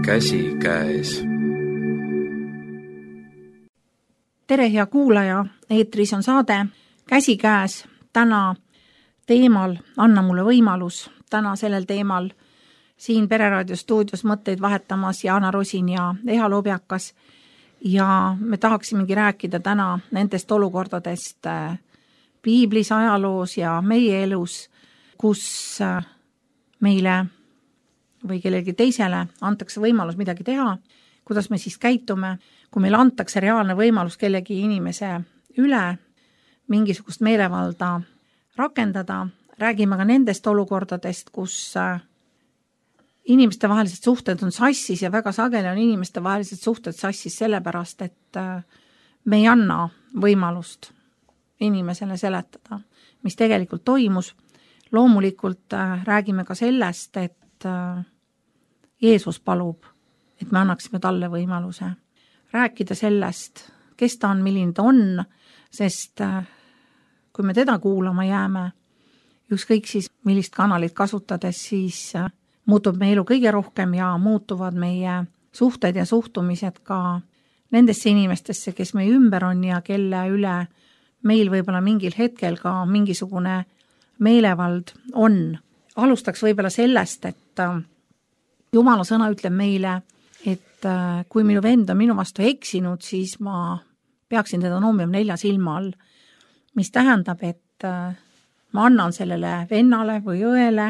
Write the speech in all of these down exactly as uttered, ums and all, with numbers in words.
käsikäes. Tere, hea kuulaja, eetris on saade Käsikäes. Täna teemal Anna mulle võimalus. Täna sellel teemal siin Pereraadio stuudios mõtteid vahetamas Jaana Rosin ja Eha Lobjakas. Ja me tahaksimegi rääkida täna nendest olukordadest piiblis, ajaloos ja meie elus, kus meile või kellelgi teisele antakse võimalus midagi teha, kuidas me siis käitume, kui meile antakse reaalne võimalus kellegi inimese üle mingisugust meelevalda rakendada. Räägime ka nendest olukordadest, kus inimeste vahelised suhted on sassis ja väga sageli on inimeste vahelised suhted sassis sellepärast, et me ei anna võimalust inimesele seletada, mis tegelikult toimus. Loomulikult räägime ka sellest, et Jeesus palub, et me annaksime talle võimaluse rääkida sellest, kes ta on, milline ta on, sest kui me teda kuulama jääme, ükskõik siis millist kanalit kasutades, siis muutub meie elu kõige rohkem ja muutuvad meie suhted ja suhtumised ka nendesse inimestesse, kes meie ümber on ja kelle üle meil võib-olla mingil hetkel ka mingisugune meelevald on. Alustaks võib-olla sellest, et Jumala sõna ütleb meile, et kui minu vend on minu vastu eksinud, siis ma peaksin teda noomima nelja silma all, mis tähendab, et ma annan sellele vennale või õele,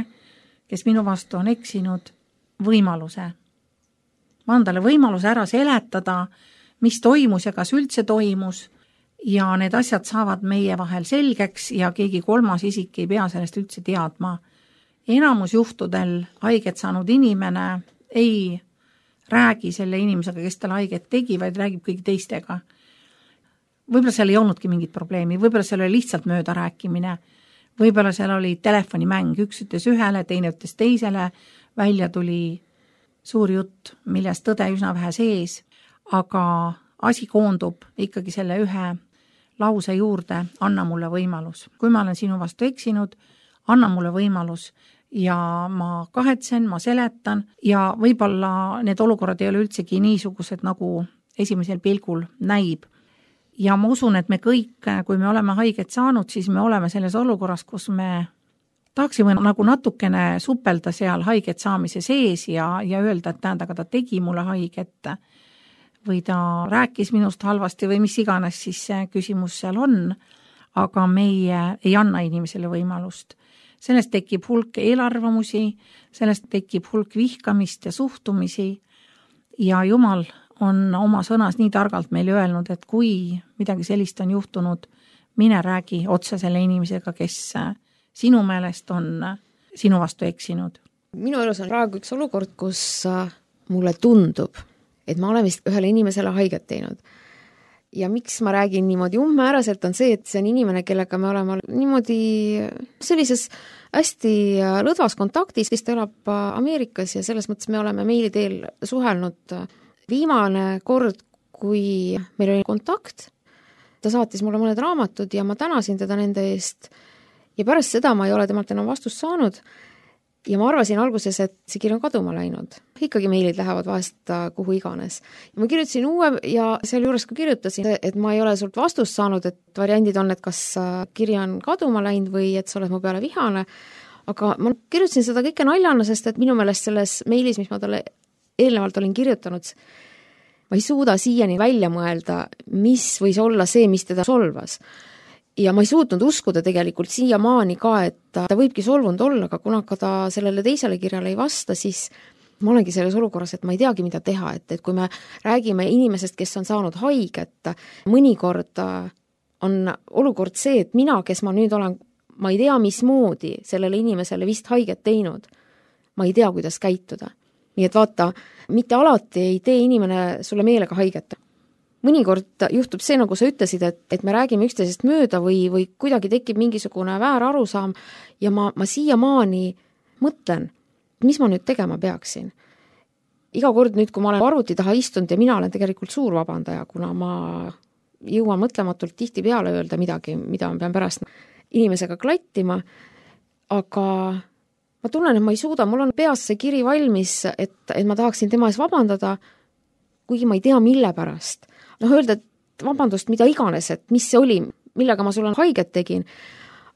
kes minu vastu on eksinud, võimaluse. Ma annan talle võimaluse ära seletada, mis toimus ja kas üldse toimus, ja need asjad saavad meie vahel selgeks ja keegi kolmas isik ei pea sellest üldse teadma. Enamus juhtudel haiget saanud inimene ei räägi selle inimesega, kes tal haiget tegi, vaid räägib kõigi teistega. Võib-olla seal ei olnudki mingit probleemi, võib-olla seal oli lihtsalt mööda rääkimine, võib-olla seal oli telefonimäng, üks ütles ühele, teine ütles teisele, välja tuli suur jutt, millest tõde üsna vähe sees, aga asi koondub ikkagi selle ühe lause juurde, anna mulle võimalus. Kui ma olen sinu vastu eksinud, anna mulle võimalus ja ma kahetsen, ma seletan ja võib-olla need olukorrad ei ole üldsegi niisugused, nagu esimesel pilgul näib. Ja ma usun, et me kõik, kui me oleme haiget saanud, siis me oleme selles olukorras, kus me tahaksime nagu natukene suppelda seal haiget saamise sees ja, ja öelda, et tähendaga ta tegi mulle haiget või ta rääkis minust halvasti või mis iganes siis see küsimus seal on, aga meie ei anna inimesele võimalust. Sellest tekib hulk eelarvamusi, sellest tekib hulk vihkamist ja suhtumisi ja Jumal on oma sõnas nii targalt meile öelnud, et kui midagi sellist on juhtunud, mine räägi otse selle inimesega, kes sinu meelest on sinu vastu eksinud. Minu elus on praegu üks olukord, kus mulle tundub, et ma olen vist ühele inimesele haiget teinud. Ja miks ma räägin niimoodi umbmääraselt on see, et see on inimene, kellega me oleme niimoodi sellises hästi lõdvas kontaktis, kes ta elab Ameerikas ja selles mõttes me oleme meili teel suhelnud. Viimane kord, kui meil oli kontakt, ta saatis mulle mõned raamatud ja ma tänasin teda nende eest ja pärast seda ma ei ole temalt enam vastust saanud ja ma arvasin alguses, et see kiri on kaduma läinud. Ikkagi meilid lähevad vahest kuhu iganes. Ja ma kirjutasin uue ja seal juures ka kirjutasin, et ma ei ole sult vastust saanud, et variandid on, et kas kiri on kaduma läinud või et sa oled mu peale vihane. Aga ma kirjutasin seda kõike naljana, sest et minu meelest selles meilis, mis ma talle eelnevalt olin kirjutanud, ma ei suuda siiani välja mõelda, mis võis olla see, mis teda solvas. Ja ma ei suutnud uskuda tegelikult siiamaani ka, et ta võibki solvunud olla, aga kuna ka ta sellele teisele kirjale ei vasta, siis ma olengi selles olukorras, et ma ei teagi, mida teha, et, et kui me räägime inimesest, kes on saanud haiget, mõnikord on olukord see, et mina, kes ma nüüd olen, ma ei tea, mismoodi sellele inimesele vist haiget teinud, ma ei tea, kuidas käituda. Nii et vaata, mitte alati ei tee inimene sulle meelega haiget. Mõnikord juhtub see, nagu sa ütlesid, et, et me räägime üksteisest mööda või, või kuidagi tekib mingisugune väär arusaam ja ma, ma siiamaani mõtlen, mis ma nüüd tegema peaksin. Iga kord nüüd, kui ma olen arvuti taha istunud ja mina olen tegelikult suur vabandaja, kuna ma jõuan mõtlematult tihti peale öelda midagi, mida ma pean pärast inimesega klattima, aga ma tunnen, et ma ei suuda, mul on peas see kiri valmis, et, et ma tahaksin tema ees vabandada, kuigi ma ei tea, mille pärast. Noh, öelda, et vabandust, mida iganes, et mis see oli, millega ma sulle haiget tegin,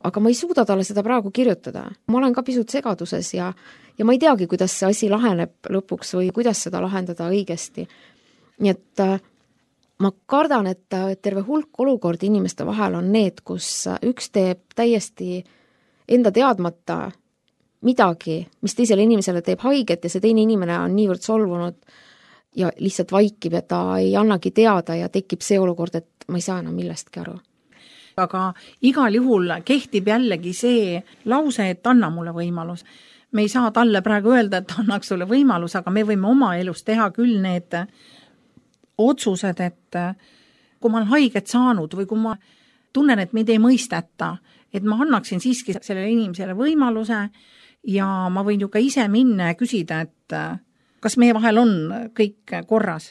aga ma ei suuda talle seda praegu kirjutada. Ma olen ka pisut segaduses ja, ja ma ei teagi, kuidas see asi laheneb lõpuks või kuidas seda lahendada õigesti. Nii et ma kardan, et terve hulk olukordi inimeste vahel on need, kus üks teeb täiesti enda teadmata midagi, mis teisele inimesele teeb haiget ja see teine inimene on niivõrd solvunud ja lihtsalt vaikib ja ta ei annagi teada ja tekib see olukord, et ma ei saa enam millestki aru. Aga igal juhul kehtib jällegi see lause, et anna mulle võimalus. Me ei saa talle praegu öelda, et annaks sulle võimalus, aga me võime oma elus teha küll need otsused, et kui ma olen haiget saanud või kui ma tunnen, et meid ei mõisteta, et ma annaksin siiski sellele inimesele võimaluse ja ma võin ju ka ise minna ja küsida, et kas meie vahel on kõik korras.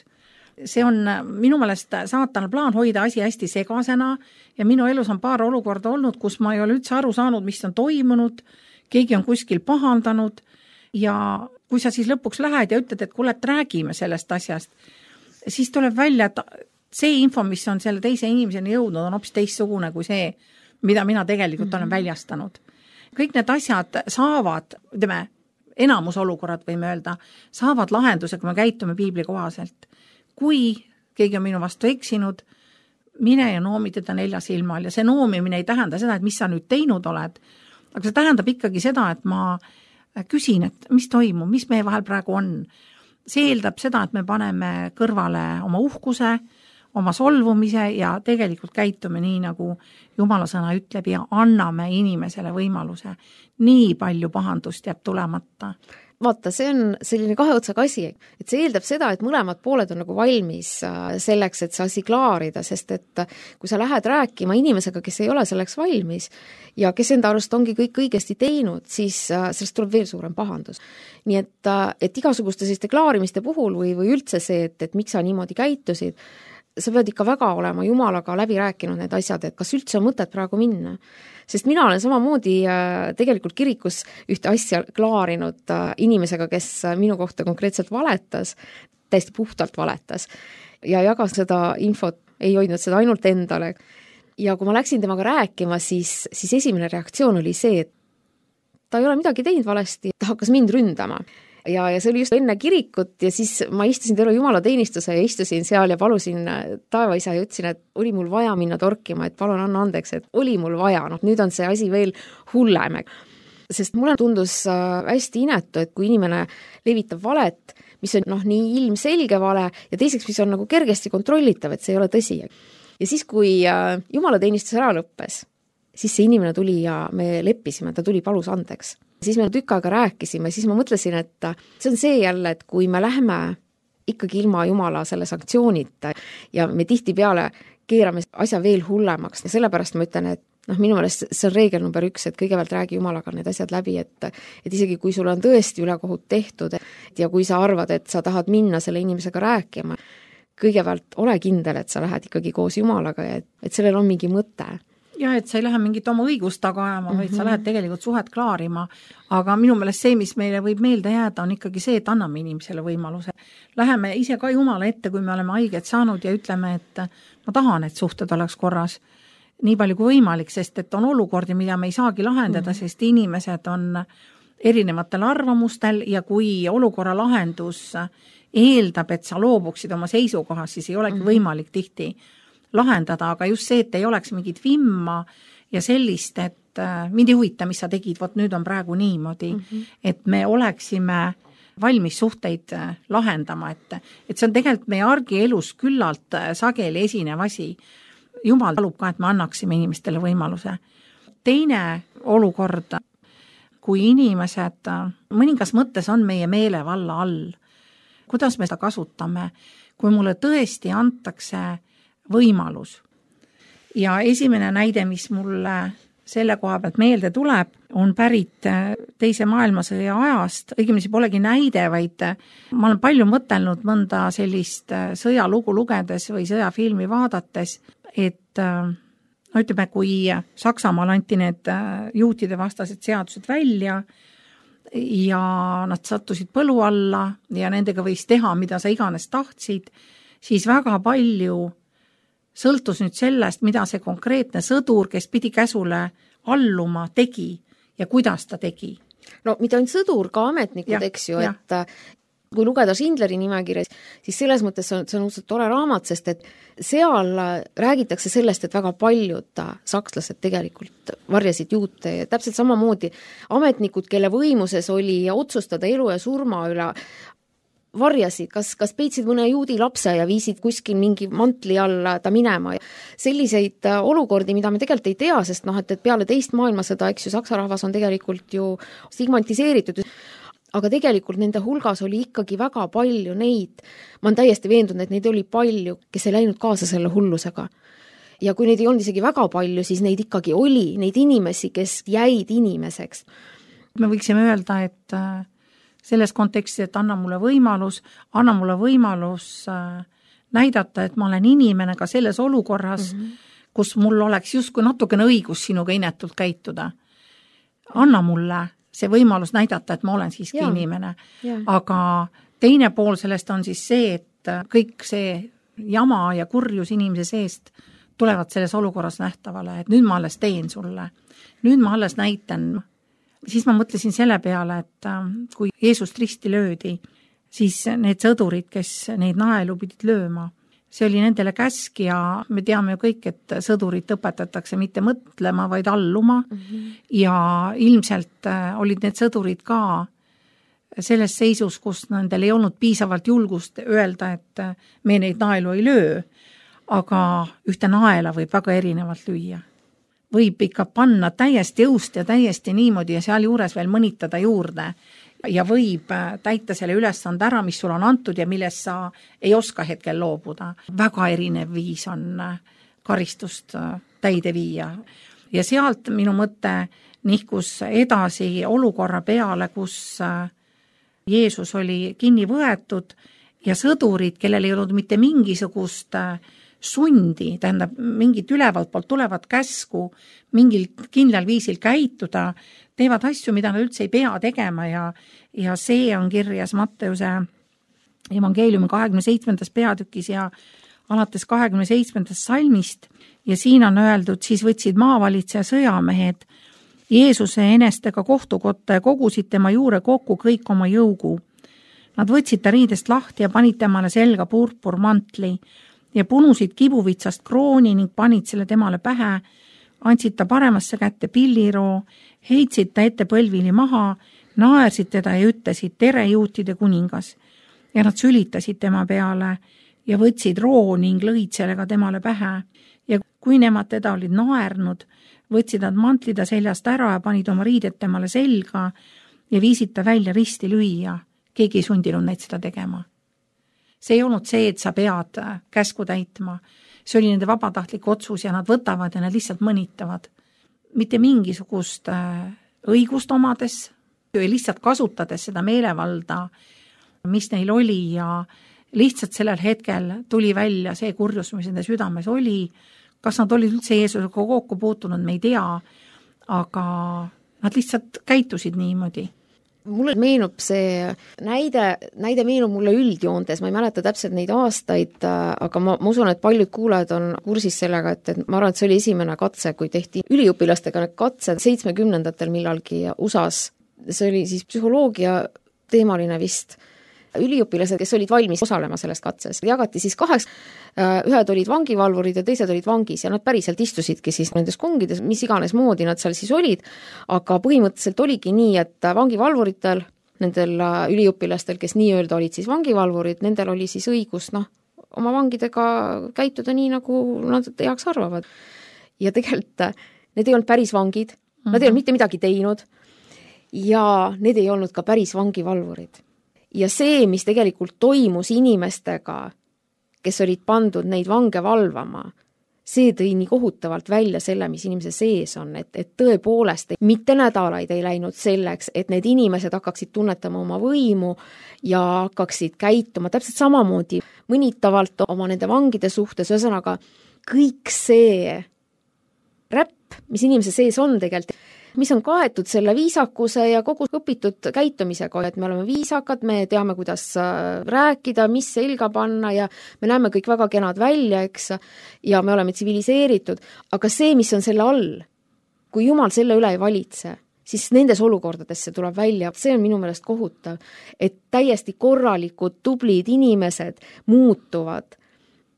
See on minu meelest saatana plaan hoida asi hästi segasena ja minu elus on paar olukorda olnud, kus ma ei ole üldse aru saanud, mis on toimunud, keegi on kuskil pahandanud ja kui sa siis lõpuks lähed ja ütled, et kuule, et räägime sellest asjast, siis tuleb välja, et see info, mis on selle teise inimeseni jõudnud, on hoopis teistsugune kui see, mida mina tegelikult mm-hmm. olen väljastanud. Kõik need asjad saavad, ütleme, enamus olukorrad võime öelda, saavad lahenduse, kui me käitume piibli kohaselt. Kui keegi on minu vastu eksinud, mine ja noomi teda nelja silmal ja see noomimine ei tähenda seda, et mis sa nüüd teinud oled, aga see tähendab ikkagi seda, et ma küsin, et mis toimub, mis meie vahel praegu on. See eeldab seda, et me paneme kõrvale oma uhkuse, oma solvumise ja tegelikult käitume nii, nagu Jumala sõna ütleb ja anname inimesele võimaluse. Nii palju pahandust jääb tulemata. Vaata, see on selline kahe otsaga asi, et see eeldab seda, et mõlemad pooled on nagu valmis selleks, et see asi klaarida, sest et kui sa lähed rääkima inimesega, kes ei ole selleks valmis ja kes enda arust ongi kõik õigesti teinud, siis sellest tuleb veel suurem pahandus. Nii et, et igasuguste selliste klaarimiste puhul või, või üldse see, et, et miks sa niimoodi käitusid, sa pead ikka väga olema Jumalaga läbi rääkinud need asjad, et kas üldse on mõtet praegu minna. Sest mina olen samamoodi tegelikult kirikus ühte asja klaarinud inimesega, kes minu kohta konkreetselt valetas, täiesti puhtalt valetas ja jagas seda infot, ei hoidnud seda ainult endale. Ja kui ma läksin temaga rääkima, siis, siis esimene reaktsioon oli see, et ta ei ole midagi teinud valesti, ta hakkas mind ründama. Ja, ja see oli just enne kirikut ja siis ma istusin terve Jumala teenistuse ja istusin seal ja palusin taevaisa ja ütlesin, et oli mul vaja minna torkima, et palun anna andeks, et oli mul vaja, noh nüüd on see asi veel hullem. Sest mulle tundus hästi inetu, et kui inimene levitab valet, mis on noh, nii ilmselge vale ja teiseks, mis on nagu kergesti kontrollitav, et see ei ole tõsi. Ja siis, kui Jumala teenistus ära lõppes, siis see inimene tuli ja me leppisime, ta tuli palus andeks. Siis me tükk aega rääkisime, siis ma mõtlesin, et see on see jälle, et kui me lähme ikkagi ilma Jumala selle sanktsioonita ja me tihti peale keerame asja veel hullemaks ja sellepärast ma ütlen, et noh, minu meelest see on reegel number üks, et kõigepealt räägi Jumalaga need asjad läbi, et, et isegi kui sul on tõesti ülekohut tehtud ja kui sa arvad, et sa tahad minna selle inimesega rääkima, kõigepealt ole kindel, et sa lähed ikkagi koos Jumalaga ja et, et sellel on mingi mõte. Ja, et sa ei lähe mingit oma õigust taga ajama, vaid mm-hmm. sa lähed tegelikult suhet klaarima, aga minu meelest see, mis meile võib meelde jääda, on ikkagi see, et anname inimesele võimaluse. Läheme ise ka Jumala ette, kui me oleme haiget saanud ja ütleme, et ma tahan, et suhted oleks korras nii palju kui võimalik, sest et on olukordi, mida me ei saagi lahendada, mm-hmm. sest inimesed on erinevatel arvamustel ja kui olukorra lahendus eeldab, et sa loobuksid oma seisukohas, siis ei olegi mm-hmm. võimalik tihti lahendada, aga just see, et ei oleks mingit vimma ja sellist, et äh, mind ei huvita, mis sa tegid, vot nüüd on praegu niimoodi, mm-hmm. et me oleksime valmis suhteid äh, lahendama, et, et see on tegelikult meie argielus küllalt äh, sageli esinev asi. Jumal palub ka, et me annaksime inimestele võimaluse. Teine olukord, kui inimesed äh, mõningas mõttes on meie meelevalla all, kuidas me seda kasutame, kui mulle tõesti antakse võimalus. Ja esimene näide, mis mulle selle koha pealt meelde tuleb, on pärit teise maailmasõja ajast, õigemini polegi näide, vaid ma olen palju mõtelnud mõnda sellist sõjalugu lugedes või sõjafilmi vaadates, et no ütleme, kui Saksamaal anti need juutide vastased seadused välja ja nad sattusid põlu alla ja nendega võis teha, mida sa iganes tahtsid, siis väga palju sõltus nüüd sellest, mida see konkreetne sõdur, kes pidi käsule alluma, tegi ja kuidas ta tegi. No mitte ainult sõdur, ka ametnikud, ja, eks ju, et kui lugeda Schindleri nimekirjas, siis selles mõttes on, see on uudselt tore raamat, sest et seal räägitakse sellest, et väga paljud sakslased tegelikult varjasid juute ja täpselt samamoodi ametnikud, kelle võimuses oli otsustada elu ja surma üle, varjasid, kas, kas peitsid mõne juudi lapse ja viisid kuskil mingi mantli alla ta minema. Selliseid olukordi, mida me tegelikult ei tea, sest noh, et, et peale teist maailmasõda, eks ju, saksa rahvas on tegelikult ju stigmatiseeritud, aga tegelikult nende hulgas oli ikkagi väga palju neid, ma olen täiesti veendunud, et neid oli palju, kes ei läinud kaasa selle hullusega. Ja kui neid ei olnud isegi väga palju, siis neid ikkagi oli, neid inimesi, kes jäid inimeseks. Me võiksime öelda, et selles kontekstis, et anna mulle võimalus, anna mulle võimalus näidata, et ma olen inimene ka selles olukorras, mm -hmm. kus mul oleks justkui natukene õigus sinuga inetult käituda. Anna mulle see võimalus näidata, et ma olen siiski ja, inimene. Ja. Aga teine pool sellest on siis see, et kõik see jama ja kurjus inimese seest tulevad selles olukorras nähtavale, et nüüd ma alles teen sulle. Nüüd ma alles näitan. Siis ma mõtlesin selle peale, et kui Jeesust risti löödi, siis need sõdurid, kes neid naelu pidid lööma, see oli nendele käsk ja me teame ju kõik, et sõdurit õpetatakse mitte mõtlema, vaid alluma mm -hmm. ja ilmselt olid need sõdurid ka selles seisus, kus nendel ei olnud piisavalt julgust öelda, et me neid naelu ei löö, aga ühte naela võib väga erinevalt lüüa. Võib ikka panna täiesti õust ja täiesti niimoodi ja seal juures veel mõnitada juurde ja võib täita selle ülesande ära, mis sul on antud ja millest sa ei oska hetkel loobuda. Väga erinev viis on karistust täide viia. Ja sealt minu mõte nihkus edasi olukorra peale, kus Jeesus oli kinni võetud ja sõdurid, kellel ei olnud mitte mingisugust sundi, tähendab mingit ülevalt poolt tulevat käsku, mingil kindlal viisil käituda, teevad asju, mida nad üldse ei pea tegema ja, ja see on kirjas Matteuse evangeeliumi kahekümne seitsmendas peatükis ja alates kahekümne seitsmendast salmist ja siin on öeldud, siis võtsid maavalitseja sõjamehed Jeesuse enestega kohtukotta ja kogusid tema juure kokku kõik oma jõugu. Nad võtsid ta riidest lahti ja panid temale selga purpurmantli ja punusid kibuvitsast krooni ning panid selle temale pähe, andsid ta paremasse kätte pilliroo, heitsid ta ette põlvili maha, naersid teda ja ütlesid, tere juutide kuningas. Ja nad sülitasid tema peale ja võtsid roo ning lõid sellega temale pähe. Ja kui nemad teda olid naernud, võtsid nad mantlida seljast ära ja panid oma riidet temale selga ja viisid ta välja risti lüüa. Keegi ei sundinud neid seda tegema. See ei olnud see, et sa pead käsku täitma. See oli nende vabatahtlik otsus ja nad võtavad ja nad lihtsalt mõnitavad. Mitte mingisugust õigust omades, lihtsalt kasutades seda meelevalda, mis neil oli ja lihtsalt sellel hetkel tuli välja see kurjus, mis nende südames oli. Kas nad olid üldse Jeesusega kokku puutunud, me ei tea, aga nad lihtsalt käitusid niimoodi. Mulle meenub see näide, näide meenub mulle üldjoontes, ma ei mäleta täpselt neid aastaid, aga ma, ma usun, et paljud kuulajad on kursis sellega, et, et ma arvan, et see oli esimene katse, kui tehti üliõpilastega need katsed seitsmekümnendatel millalgi U S A-s. See oli siis psühholoogia teemaline vist. Üliõpilased, kes olid valmis osalema selles katses, jagati siis kaheks, ühed olid vangivalvurid ja teised olid vangis ja nad päriselt istusidki siis nendes kongides, mis iganes moodi nad seal siis olid, aga põhimõtteliselt oligi nii, et vangivalvuritel, nendel üliõpilastel, kes nii-öelda olid siis vangivalvurid, nendel oli siis õigus noh, oma vangidega käituda nii, nagu nad heaks arvavad. Ja tegelikult need ei olnud päris vangid, mm-hmm. nad ei olnud mitte midagi teinud ja need ei olnud ka päris vangivalvurid. Ja see, mis tegelikult toimus inimestega, kes olid pandud neid vange valvama, see tõi nii kohutavalt välja selle, mis inimese sees on, et, et tõepoolest mitte nädalaid ei läinud selleks, et need inimesed hakkaksid tunnetama oma võimu ja hakkaksid käituma täpselt samamoodi mõnitavalt oma nende vangide suhtes, ühesõnaga kõik see räpp, mis inimese sees on tegelikult, mis on kaetud selle viisakuse ja kogu õpitud käitumisega, et me oleme viisakad, me teame, kuidas rääkida, mis selga panna ja me näeme kõik väga kenad välja, eks, ja me oleme tsiviliseeritud, aga see, mis on selle all, kui Jumal selle üle ei valitse, siis nendes olukordades see tuleb välja, see on minu meelest kohutav, et täiesti korralikud, tublid inimesed muutuvad,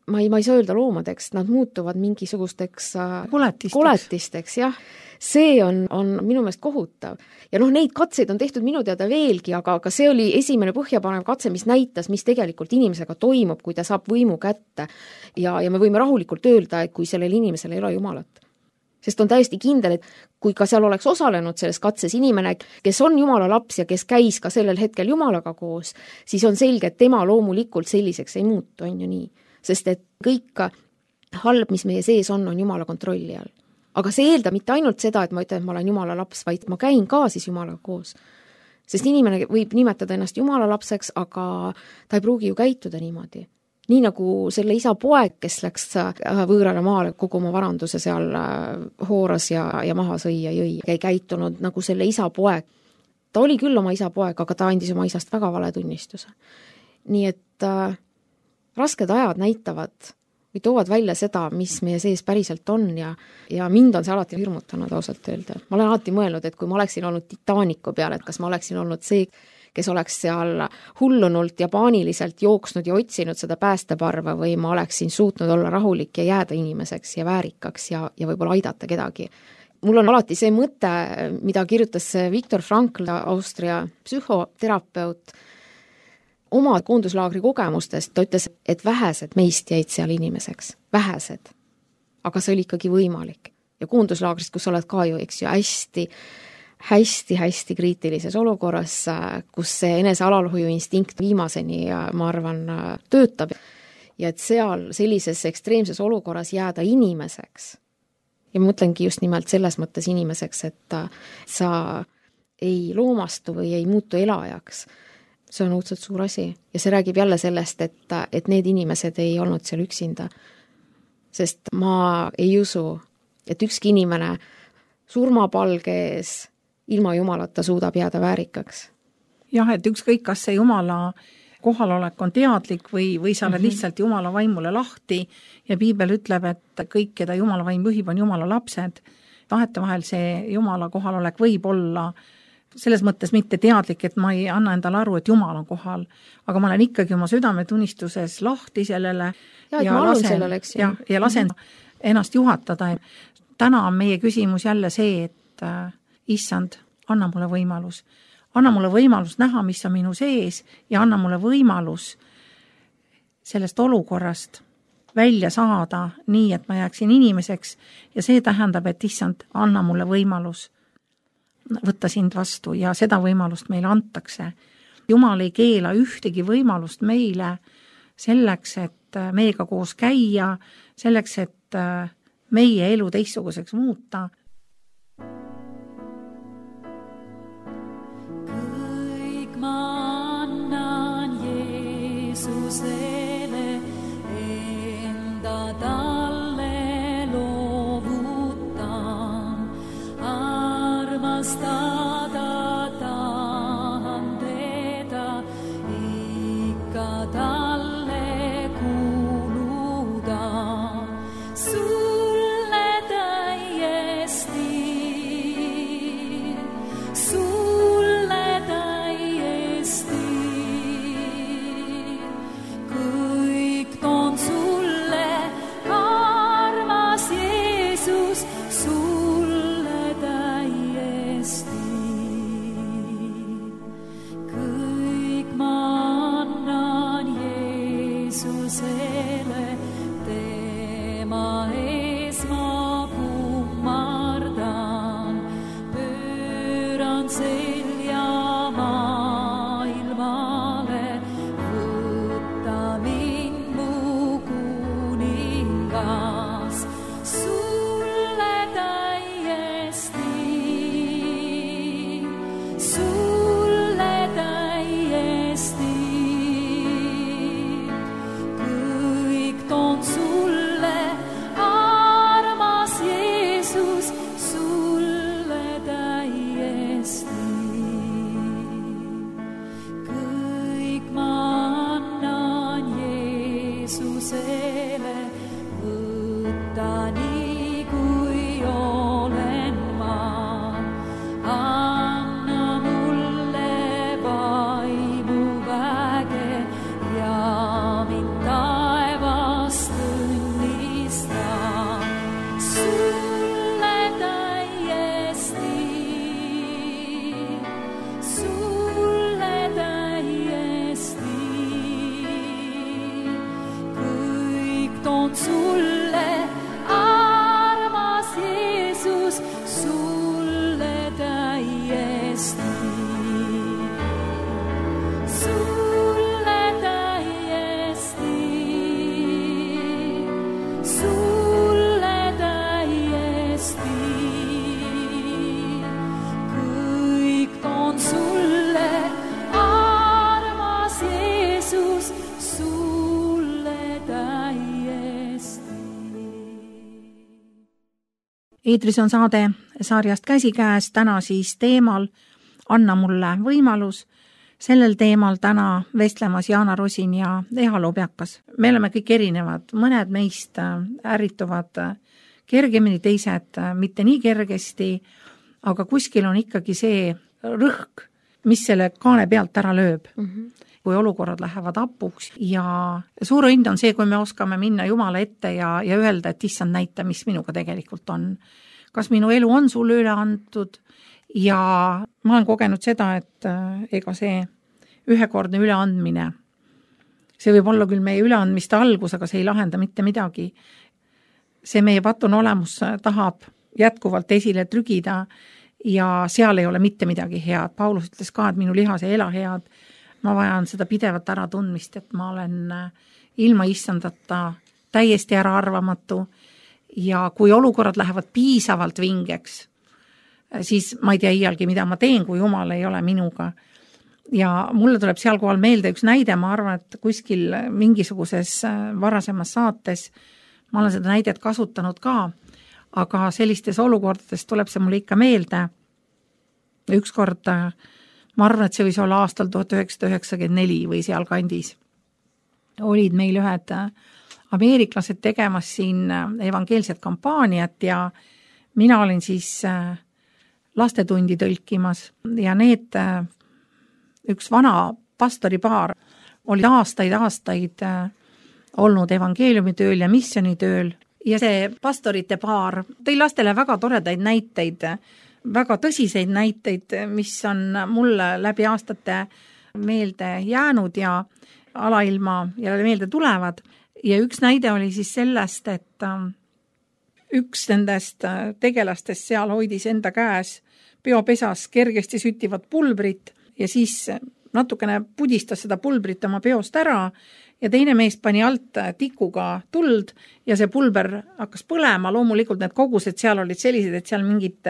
ma ei, ma ei saa öelda loomadeks, nad muutuvad mingisugusteks koletisteks, koletisteks jah. See on, on minu meelest kohutav. Ja noh, neid katseid on tehtud minu teada veelgi, aga, aga see oli esimene põhjapanev katse, mis näitas, mis tegelikult inimesega toimub, kui ta saab võimu kätte. Ja, ja me võime rahulikult öelda, et kui sellel inimesel ei ole Jumalat. Sest on täiesti kindel, et kui ka seal oleks osalenud selles katses inimene, kes on Jumala laps ja kes käis ka sellel hetkel Jumalaga koos, siis on selge, et tema loomulikult selliseks ei muutu, on ju nii. Sest et kõik halb, mis meie sees on, on Jumala kontrolli all. Aga see eeldab mitte ainult seda, et ma ütlen, et ma olen Jumala laps, vaid ma käin ka siis Jumalaga koos. Sest inimene võib nimetada ennast Jumala lapseks, aga ta ei pruugi ju käituda niimoodi. Nii nagu selle isa poeg, kes läks võõrale maale kogu oma varanduse seal hooras ja, ja maha sõi ja jõi. Ei käitunud nagu selle isa poeg. Ta oli küll oma isa poeg, aga ta andis oma isast väga vale tunnistuse. Nii et äh, rasked ajad näitavad või toovad välja seda, mis meie sees päriselt on ja, ja mind on see alati hirmutanud ausalt öelda. Ma olen alati mõelnud, et kui ma oleksin olnud Titanicu peal, et kas ma oleksin olnud see, kes oleks seal hullunult ja paaniliselt jooksnud ja otsinud seda päästeparva või ma oleksin suutnud olla rahulik ja jääda inimeseks ja väärikaks ja, ja võib-olla aidata kedagi. Mul on alati see mõte, mida kirjutas Viktor Frankl, Austria psühhoterapeut, oma koonduslaagri kogemustest, ta ütles, et vähesed meist jäid seal inimeseks, vähesed, aga see oli ikkagi võimalik. Ja koonduslaagrist, kus oled ka ju, eks ju, hästi, hästi, hästi kriitilises olukorras, kus see enese alalhoiu instinkt viimaseni, ma arvan, töötab. Ja et seal sellises ekstreemses olukorras jääda inimeseks. Ja ma mõtlengi just nimelt selles mõttes inimeseks, et sa ei loomastu või ei muutu elajaks. See on õudselt suur asi ja see räägib jälle sellest, et, et need inimesed ei olnud seal üksinda. Sest ma ei usu, et ükski inimene surmapalge ees ilma Jumalata suudab jääda väärikaks. Jah, et ükskõik, kas see Jumala kohalolek on teadlik või, või sa oled mm-hmm. lihtsalt Jumala vaimule lahti ja piibel ütleb, et kõik, keda Jumala vaim juhib, on Jumala lapsed. Vahetevahel see Jumala kohalolek võib olla selles mõttes mitte teadlik, et ma ei anna endale aru, et Jumal on kohal, aga ma olen ikkagi oma südametunnistuses lahti sellele ja, ja lasen, sellele, ja, ja lasen mm-hmm. ennast juhatada. Täna on meie küsimus jälle see, et äh, issand, anna mulle võimalus. Anna mulle võimalus näha, mis on minu sees ja anna mulle võimalus sellest olukorrast välja saada nii, et ma jääksin inimeseks ja see tähendab, et issand, anna mulle võimalus võtta sind vastu ja seda võimalust meile antakse. Jumal ei keela ühtegi võimalust meile selleks, et meiega koos käia, selleks, et meie elu teistsuguseks muuta. Kõik ma annan Jeesusele enda talle loovutan. Armastada tahan teda, ikka talle kuuluda. Sulle täiesti, sulle täiesti, sulle, armas Jeesus, sulle täiesti. Sulle täiesti, sulle täiesti. Kõik toon sulle, armas Jeesus, sulle täiesti. Eetris on saade sarjast Käsikäes, täna siis teemal Anna mulle võimalus. Sellel teemal täna vestlemas Jaana Rosin ja Eha Lobjakas. Me oleme kõik erinevad, mõned meist ärrituvad kergemini, teised mitte nii kergesti, aga kuskil on ikkagi see rõhk, mis selle kaane pealt ära lööb. Mm-hmm. Kui olukorrad lähevad apuks ja suur õnn on see, kui me oskame minna Jumala ette ja, ja öelda, et issand, näita, mis minuga tegelikult on. Kas minu elu on sulle üle antud ja ma olen kogenud seda, et ega see ühekordne üleandmine, see võib olla küll meie üleandmiste algus, aga see ei lahenda mitte midagi. See meie patun olemus tahab jätkuvalt esile trügida ja seal ei ole mitte midagi head. Paulus ütles ka, et minu lihas ei ela head. Ma vajan seda pidevat ära tundmist, et ma olen ilma issandata täiesti ära arvamatu ja kui olukorrad lähevad piisavalt vingeks, siis ma ei tea iialgi, mida ma teen, kui Jumal ei ole minuga. Ja mulle tuleb seal kohal meelde üks näide, ma arvan, et kuskil mingisuguses varasemas saates ma olen seda näidet kasutanud ka, aga sellistes olukordades tuleb see mulle ikka meelde. Ükskord, ma arvan, et see võis olla aastal tuhat üheksasada üheksakümmend neli või seal kandis. Olid meil ühed ameeriklased tegemas siin evangeelset kampaaniat ja mina olin siis lastetundi tõlkimas ja need üks vana pastoripaar oli aastaid, aastaid olnud evangeeliumitööl ja missionitööl ja see pastorite paar tõi lastele väga toredaid näiteid, väga tõsiseid näiteid, mis on mulle läbi aastate meelde jäänud ja alailma ja meelde tulevad. Ja üks näide oli siis sellest, et üks nendest tegelastest seal hoidis enda käes peopesas kergesti süttivat pulbrit ja siis natukene pudistas seda pulbrit oma peost ära ja teine mees pani alt tikuga tuld ja see pulber hakkas põlema. Loomulikult need kogused seal olid sellised, et seal mingit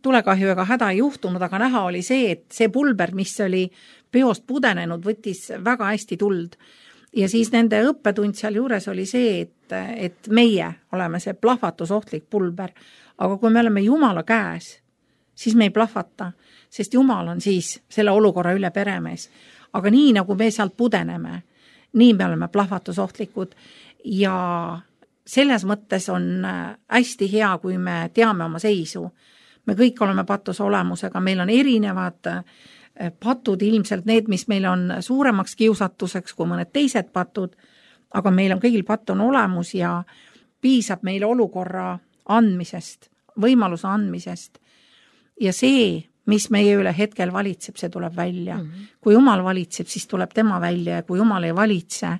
tulekahju ega häda ei juhtunud, aga näha oli see, et see pulber, mis oli peost pudenenud, võttis väga hästi tuld. Ja siis nende õppetund seal juures oli see, et, et meie oleme see plahvatusohtlik pulber, aga kui me oleme Jumala käes, siis me ei plahvata, sest Jumal on siis selle olukorra üle peremees. Aga nii nagu me sealt pudeneme, nii me oleme plahvatusohtlikud ja selles mõttes on hästi hea, kui me teame oma seisu. Me kõik oleme patus olemusega, meil on erinevad patud, ilmselt need, mis meil on suuremaks kiusatuseks kui mõned teised patud, aga meil on kõigil patt on olemus ja piisab meile olukorra andmisest, võimaluse andmisest. Ja see, mis meie üle hetkel valitseb, see tuleb välja. Mm-hmm. Kui Jumal valitseb, siis tuleb tema välja ja kui Jumal ei valitse,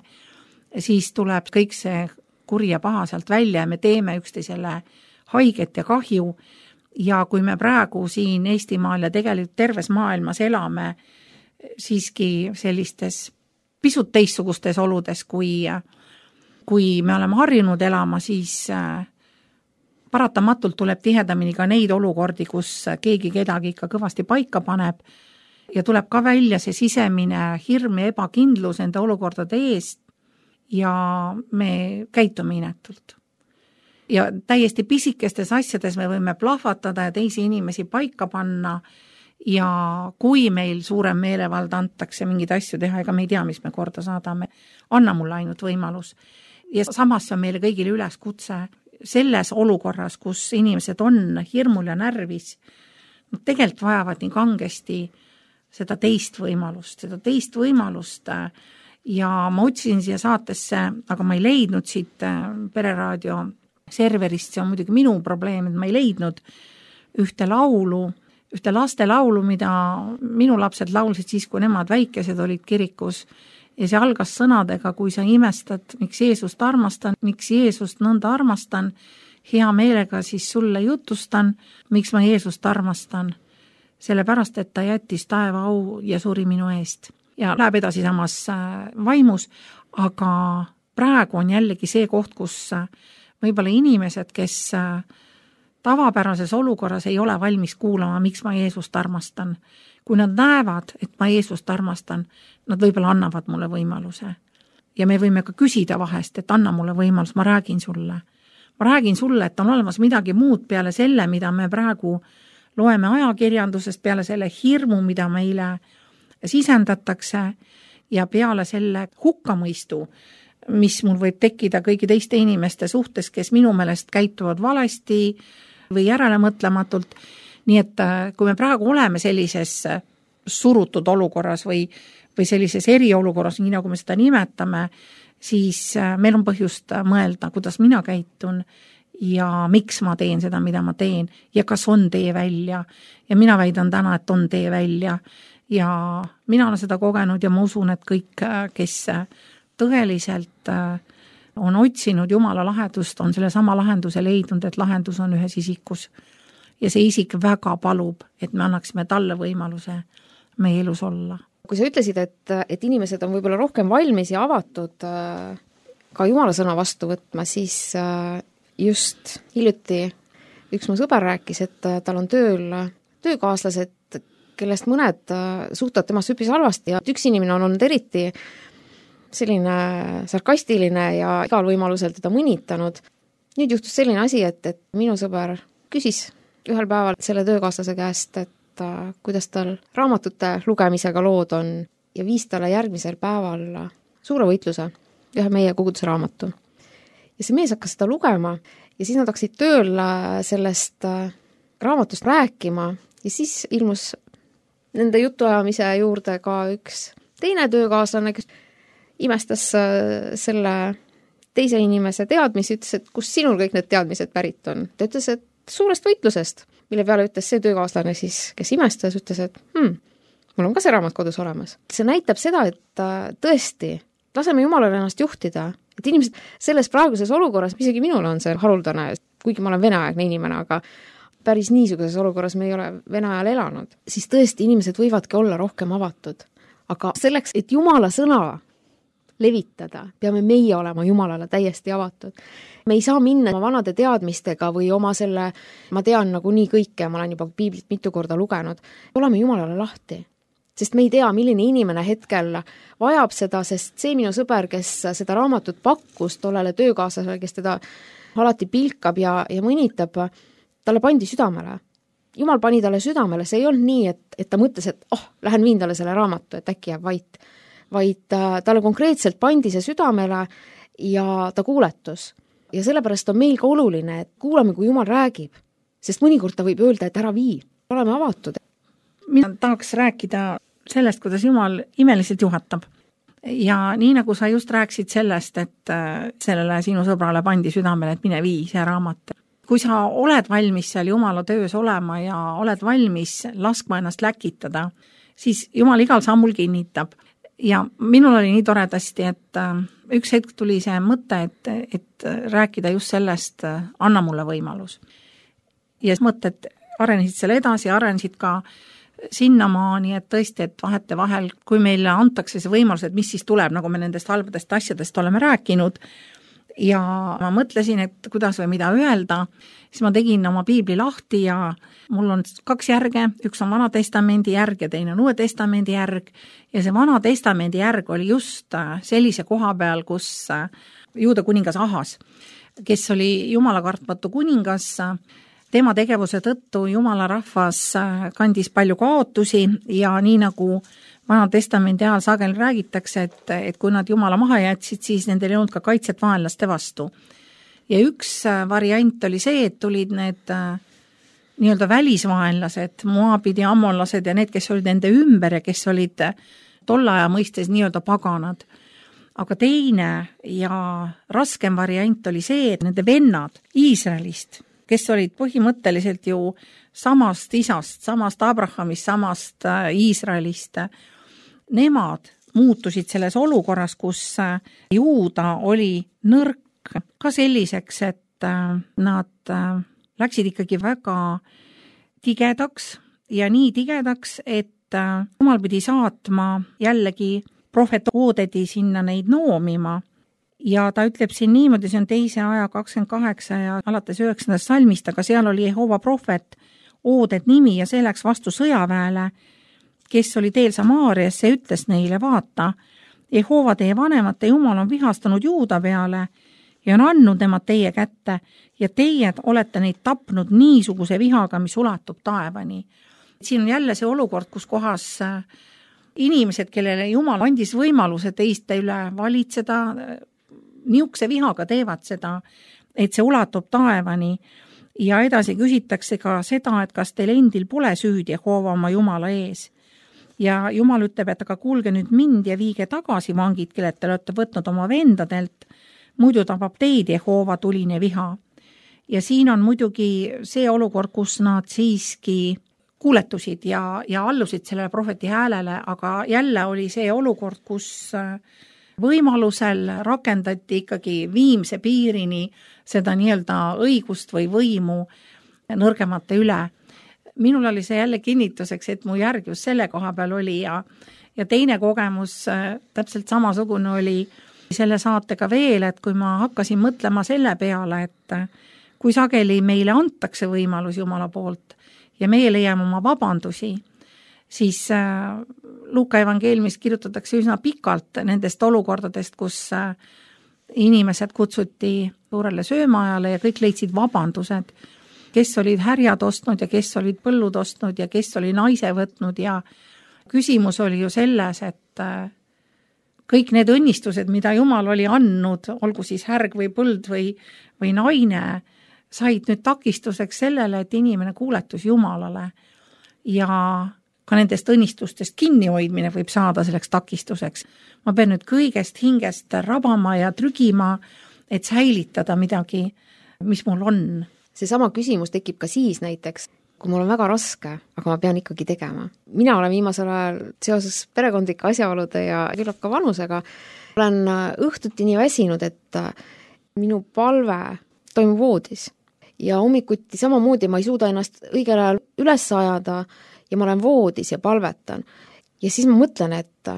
siis tuleb kõik see kuri ja paha sealt välja ja me teeme üksteisele haiget ja kahju. Ja kui me praegu siin Eestimaal ja tegelikult terves maailmas elame siiski sellistes pisut teistsugustes oludes, kui, kui me oleme harjunud elama, siis paratamatult tuleb tihedamini ka neid olukordi, kus keegi kedagi ikka kõvasti paika paneb ja tuleb ka välja see sisemine hirm ja ebakindlus enda olukordade eest ja me käitume inetult. Ja täiesti pisikestes asjades me võime plahvatada ja teisi inimesi paika panna ja kui meil suurem meelevald antakse mingid asju teha, ega me ei tea, mis me korda saadame, anna mulle ainult võimalus. Ja samas on meile kõigile üleskutse selles olukorras, kus inimesed on hirmul ja närvis, tegelikult vajavad nii kangesti seda teist võimalust, seda teist võimalust ja ma otsisin siia saatesse, aga ma ei leidnud siit Pereraadio serverist, see on muidugi minu probleem, et ma ei leidnud ühte laulu, ühte laste laulu, mida minu lapsed laulsid siis, kui nemad väikesed olid kirikus ja see algas sõnadega, kui sa imestad, miks Jeesust armastan, miks Jeesust nõnda armastan, hea meelega siis sulle jutustan, miks ma Jeesust armastan, sellepärast, et ta jättis taeva au ja suri minu eest. Ja läheb edasi samas vaimus, aga praegu on jällegi see koht, kus võib-olla inimesed, kes tavapärases olukorras ei ole valmis kuulama, miks ma Jeesust armastan. Kui nad näevad, et ma Jeesust armastan, nad võib-olla annavad mulle võimaluse. Ja me võime ka küsida vahest, et anna mulle võimalus, ma räägin sulle. Ma räägin sulle, et on olemas midagi muud peale selle, mida me praegu loeme ajakirjandusest, peale selle hirmu, mida meile sisendatakse ja peale selle hukkamõistu, mis mul võib tekkida kõigi teiste inimeste suhtes, kes minu meelest käituvad valesti või järelemõtlematult. Nii et kui me praegu oleme sellises surutud olukorras või, või sellises eriolukorras, nii nagu me seda nimetame, siis meil on põhjust mõelda, kuidas mina käitun ja miks ma teen seda, mida ma teen ja kas on tee välja. Ja mina väidan täna, et on tee välja ja mina olen seda kogenud ja ma usun, et kõik, kes tõeliselt on otsinud Jumala lahendust, on selle sama lahenduse leidnud, et lahendus on ühes isikus. Ja see isik väga palub, et me annaksime talle võimaluse meie elus olla. Kui sa ütlesid, et, et inimesed on võib-olla rohkem valmis ja avatud ka Jumala sõna vastu võtma, siis just hiljuti üks mu sõber rääkis, et tal on tööl töökaaslased, kellest mõned suhtavad temast üpris halvasti ja üks inimene on olnud eriti selline sarkastiline ja igal võimalusel teda mõnitanud. Nüüd juhtus selline asi, et, et minu sõber küsis ühel päeval selle töökaaslase käest, et uh, kuidas tal raamatute lugemisega lood on ja viis talle järgmisel päeval suure võitluse, ühe meie koguduse raamatu. Ja see mees hakkas seda lugema ja siis nad hakkasid tööl sellest uh, raamatust rääkima ja siis ilmus nende jutuajamise juurde ka üks teine töökaaslane, kes imestas uh, selle teise inimese teadmisi, ütles, et kus sinul kõik need teadmised pärit on. Ta ütles, et suurest võitlusest, mille peale ütles see töökaaslane siis, kes imestas, ütles, et hmm, mul on ka see raamat kodus olemas. See näitab seda, et tõesti, laseme Jumalale ennast juhtida, et inimesed selles praeguses olukorras, isegi minul on see haruldane, kuigi ma olen veneaegne inimene, aga päris niisuguses olukorras me ei ole Vene ajal elanud, siis tõesti inimesed võivadki olla rohkem avatud. Aga selleks, et Jumala sõna levitada, peame meie olema Jumalale täiesti avatud. Me ei saa minna oma vanade teadmistega või oma selle, ma tean nagu nii kõike, ma olen juba piiblit mitu korda lugenud, oleme Jumalale lahti. Sest me ei tea, milline inimene hetkel vajab seda, sest see minu sõber, kes seda raamatut pakkus tollele töökaaslasele, kes teda alati pilkab ja, ja mõnitab, talle pandi südamele. Jumal pani talle südamele, see ei olnud nii, et, et ta mõtles, et oh, lähen viin talle selle raamatu, et äkki jääb vait. Vaid talle konkreetselt pandi see südamele ja ta kuuletus. Ja sellepärast on meil ka oluline, et kuulame, kui Jumal räägib. Sest mõnikord ta võib öelda, et ära vii. Oleme avatud. Mina tahaks rääkida sellest, kuidas Jumal imeliselt juhatab. Ja nii nagu sa just rääksid sellest, et sellele sinu sõbrale pandi südamele, et mine vii see raamat. Kui sa oled valmis seal Jumala töös olema ja oled valmis laskma ennast läkitada, siis Jumal igal sammul kinnitab. Ja minul oli nii toredasti, et üks hetk tuli see mõte, et, et rääkida just sellest, anna mulle võimalus. Ja mõtted arenesid selle edasi, arenesid ka sinnamaani, et tõesti, et vahete vahel, kui meile antakse see võimalus, et mis siis tuleb, nagu me nendest halbadest asjadest oleme rääkinud, ja ma mõtlesin, et kuidas või mida öelda, siis ma tegin oma piibli lahti ja mul on kaks järge, üks on Vana Testamendi järg ja teine on Uue Testamendi järg ja see Vana Testamendi järg oli just sellise koha peal, kus Juuda kuningas Ahas, kes oli Jumala kartmatu kuningas, tema tegevuse tõttu Jumala rahvas kandis palju kaotusi ja nii nagu Vana Testamendi ajal sageli räägitakse, et, et kui nad Jumala maha jätsid, siis nendel ei olnud ka kaitset vaenlaste vastu. Ja üks variant oli see, et tulid need nii-öelda välisvaenlased, moabid ja ammonlased ja need, kes olid nende ümber ja kes olid tolle aja mõistes nii-öelda paganad. Aga teine ja raskem variant oli see, et nende vennad Iisraelist, kes olid põhimõtteliselt ju samast isast, samast Abrahamist, samast Iisraelist, nemad muutusid selles olukorras, kus Juuda oli nõrk ka selliseks, et nad läksid ikkagi väga tigedaks ja nii tigedaks, et Jumal pidi saatma jällegi prohvet Oodedi sinna neid noomima. Ja ta ütleb siin niimoodi, see on teise aja kakskümmend kaheksa ja alates üheksandast salmist, aga seal oli Jehova prohvet Ooded nimi ja see läks vastu sõjaväele, kes oli teel Samaariasse, ütles neile, vaata, Jehova teie vanemate Jumal on vihastanud Juuda peale ja on andnud nemad teie kätte ja teie olete neid tapnud niisuguse vihaga, mis ulatub taevani. Siin on jälle see olukord, kus kohas inimesed, kellele Jumal andis võimaluse teiste üle valitseda, niisuguse vihaga teevad seda, et see ulatub taevani ja edasi küsitakse ka seda, et kas teil endil pole süüd Jehova oma Jumala ees. Ja Jumal ütleb, et aga kuulge nüüd mind ja viige tagasi vangid, kellelt te olete võtnud oma vendadelt, muidu tabab teid Jehova tuline viha. Ja siin on muidugi see olukord, kus nad siiski kuuletusid ja, ja allusid sellele prohveti häälele, aga jälle oli see olukord, kus võimalusel rakendati ikkagi viimse piirini seda nii-öelda õigust või võimu nõrgemate üle. Minul oli see jälle kinnituseks, et mu järg just selle koha peal oli ja, ja teine kogemus täpselt samasugune oli selle saatega veel, et kui ma hakkasin mõtlema selle peale, et kui sageli meile antakse võimalus Jumala poolt ja meie leiame oma vabandusi, siis Luuka evangeeliumis kirjutatakse üsna pikalt nendest olukordadest, kus inimesed kutsuti suurele söömaajale ja kõik leidsid vabandused, kes olid härjad ostnud ja kes olid põllud ostnud ja kes oli naise võtnud ja küsimus oli ju selles, et kõik need õnnistused, mida Jumal oli andnud, olgu siis härg või põld või, või naine, said nüüd takistuseks sellele, et inimene kuuletus Jumalale ja ka nendest õnnistustest kinnihoidmine võib saada selleks takistuseks. Ma pean nüüd kõigest hingest rabama ja trügima, et säilitada midagi, mis mul on. Seesama küsimus tekib ka siis näiteks, kui mul on väga raske, aga ma pean ikkagi tegema. Mina olen viimasel ajal seoses perekondlike asjaolude ja küllap ka vanusega, olen õhtuti nii väsinud, et minu palve toimub voodis. Ja hommikuti samamoodi ma ei suuda ennast õigel ajal üles ajada ja ma olen voodis ja palvetan. Ja siis ma mõtlen, et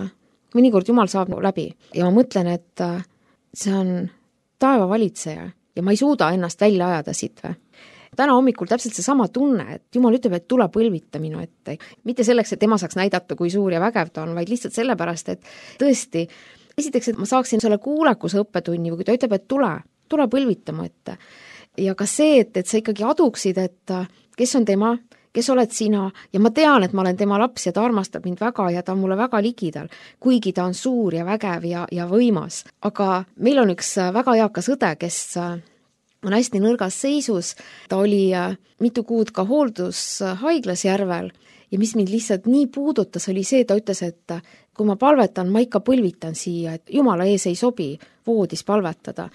mõnikord Jumal saab läbi ja ma mõtlen, et see on taeva valitseja ja ma ei suuda ennast välja ajada siit või. Täna hommikul täpselt see sama tunne, et Jumal ütleb, et tule põlvita minu ette. Mitte selleks, et tema saaks näidata, kui suur ja vägev ta on, vaid lihtsalt sellepärast, et tõesti, esiteks, et ma saaksin selle kuulekuse õppetunni, või kui ta ütleb, et tule, tule põlvita mu ette. Ja ka see, et, et sa ikkagi aduksid, et kes on tema, kes oled sina ja ma tean, et ma olen tema laps ja ta armastab mind väga ja ta on mulle väga ligidal, kuigi ta on suur ja vägev ja, ja võimas. Aga meil on üks väga eakas õde, kes on hästi nõrgas seisus, ta oli mitu kuud ka hooldushaiglas Järvel ja mis mind lihtsalt nii puudutas, oli see, ta ütles, et kui ma palvetan, ma ikka põlvitan siia, et Jumala ees ei sobi voodis palvetada.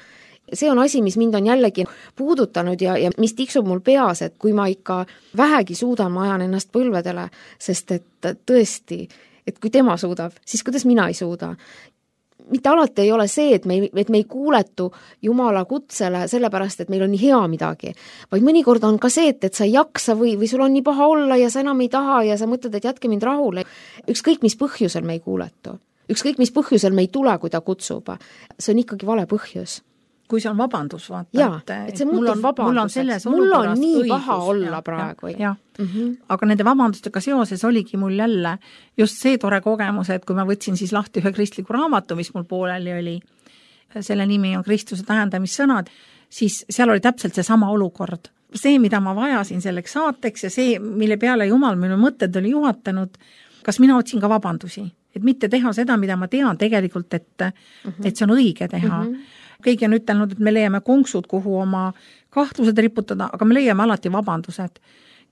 See on asi, mis mind on jällegi puudutanud ja, ja mis tiksub mul peas, et kui ma ikka vähegi suudan, ma ajan ennast põlvedele, sest et tõesti, et kui tema suudab, siis kuidas mina ei suuda. Mitte alati ei ole see, et me ei, et me ei kuuletu Jumala kutsele sellepärast, et meil on nii hea midagi, vaid mõnikord on ka see, et, et sa ei jaksa või, või sul on nii paha olla ja sa enam ei taha ja sa mõtled, et jätke mind rahule. Ükskõik, mis põhjusel me ei kuuletu. Ükskõik, mis põhjusel me ei tule, kui ta kutsub. See on ikkagi vale põhjus. Kui see on vabandus, vaata. Jaa, et, et see muutub vabanduseks. Mul on nii õigus, paha olla ja, praegu. Ja, ja. Mm-hmm. Aga nende vabandustega seoses oligi mul jälle just see tore kogemus, et kui ma võtsin siis lahti ühe kristliku raamatu, mis mul pooleli oli, selle nimi on Kristuse tähendamissõnad, siis seal oli täpselt see sama olukord. See, mida ma vajasin selleks saateks ja see, mille peale Jumal minu mõtted oli juhatanud, kas mina otsin ka vabandusi, et mitte teha seda, mida ma tean tegelikult, et, mm-hmm. et see on õige teha. Mm-hmm. Keegi on ütelnud, et me leiame konksud, kuhu oma kahtlused riputada, aga me leiame alati vabandused.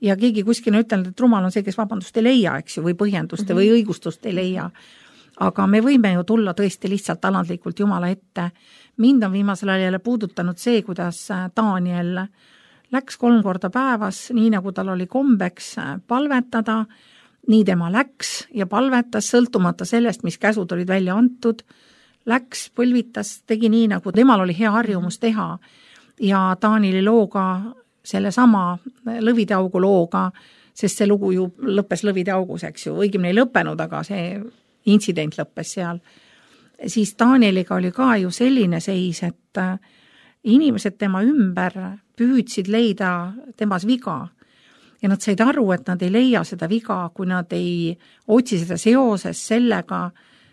Ja keegi kuskil on ütelnud, et rumal on see, kes vabandust ei leia, eks ju, või põhjendust mm-hmm. või õigustust ei leia. Aga me võime ju tulla tõesti lihtsalt alandlikult Jumala ette. Mind on viimasel ajal puudutanud see, kuidas Daniel läks kolm korda päevas, nii nagu tal oli kombeks palvetada nii tema läks ja palvetas, sõltumata sellest, mis käsud olid välja antud, läks, põlvitas, tegi nii, nagu temal oli hea harjumus teha ja Taanili looga, selle sama Lõvide augu looga, sest see lugu ju lõppes Lõvide augus, eks ju, õigemini ei lõppenud, aga see intsident lõppes seal. Siis Taaniliga oli ka ju selline seis, et inimesed tema ümber püüdsid leida temas viga ja nad said aru, et nad ei leia seda viga, kui nad ei otsi seda seoses sellega,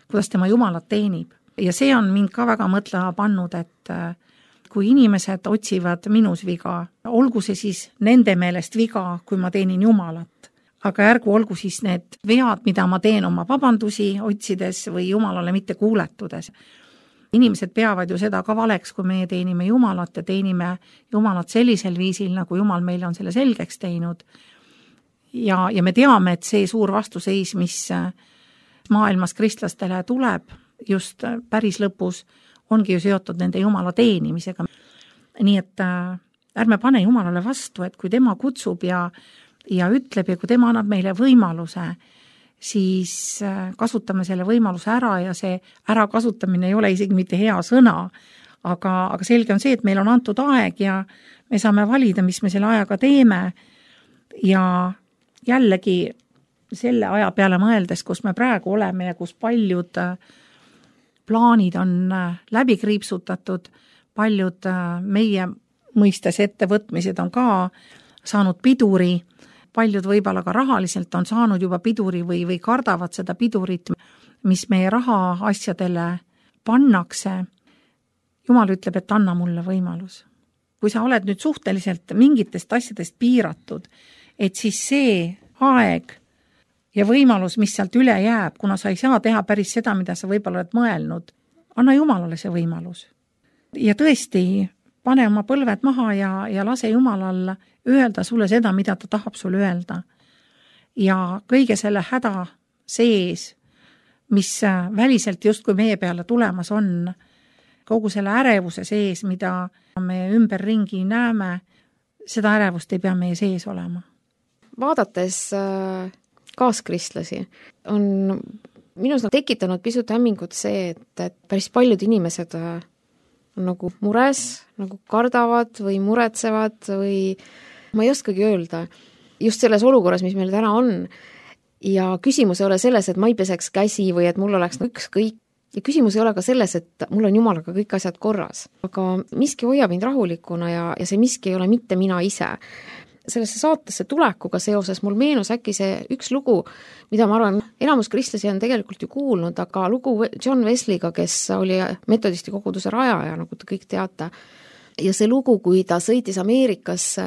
kuidas tema Jumalat teenib. Ja see on mind ka väga mõtlema pannud, et kui inimesed otsivad minus viga, olgu see siis nende meelest viga, kui ma teenin Jumalat, aga ärgu olgu siis need vead, mida ma teen oma vabandusi otsides või Jumalale mitte kuuletudes. Inimesed peavad ju seda ka valeks, kui meie teenime Jumalat ja teenime Jumalat sellisel viisil, nagu Jumal meile on selle selgeks teinud. Ja, ja me teame, et see suur vastuseis, mis maailmas kristlastele tuleb, just päris lõpus, ongi ju seotud nende Jumala teenimisega. Nii et ärme pane Jumalale vastu, et kui tema kutsub ja, ja ütleb ja kui tema annab meile võimaluse, siis kasutame selle võimaluse ära ja see ära kasutamine ei ole isegi mitte hea sõna, aga, aga selge on see, et meil on antud aeg ja me saame valida, mis me selle ajaga teeme ja jällegi selle aja peale mõeldes, kus me praegu oleme ja kus paljud plaanid on läbi kriipsutatud, paljud meie mõistes ettevõtmised on ka saanud piduri, paljud võib-olla ka rahaliselt on saanud juba piduri või, või kardavad seda pidurit, mis meie raha asjadele pannakse. Jumal ütleb, et anna mulle võimalus. Kui sa oled nüüd suhteliselt mingitest asjadest piiratud, et siis see aeg ja võimalus, mis sealt üle jääb, kuna sa ei saa teha päris seda, mida sa võib-olla oled mõelnud, anna Jumalale see võimalus. Ja tõesti, pane oma põlved maha ja, ja lase Jumalal öelda sulle seda, mida ta tahab sulle öelda. Ja kõige selle häda sees, mis väliselt justkui meie peale tulemas on, kogu selle ärevuse sees, mida me ümberringi näeme, seda ärevust ei pea meie sees olema. Vaadates kaaskristlasi on minus tekitanud pisut hämmingut see, et, et päris paljud inimesed on nagu mures, nagu kardavad või muretsevad või ma ei oskagi öelda, just selles olukorras, mis meil täna on. Ja küsimus ei ole selles, et ma ei peseks käsi või et mul oleks ükskõik. Ja küsimus ei ole ka selles, et mul on Jumalaga kõik asjad korras. Aga miski hoiab mind rahulikuna ja, ja see miski ei ole mitte mina ise. Sellesse saatesse tulekuga seoses mul meenus äkki see üks lugu, mida ma arvan, enamus kristlasi on tegelikult ju kuulnud, aga lugu John Wesleyga, kes oli metodisti koguduse rajaja, nagu te kõik teate. Ja see lugu, kui ta sõitis Ameerikasse,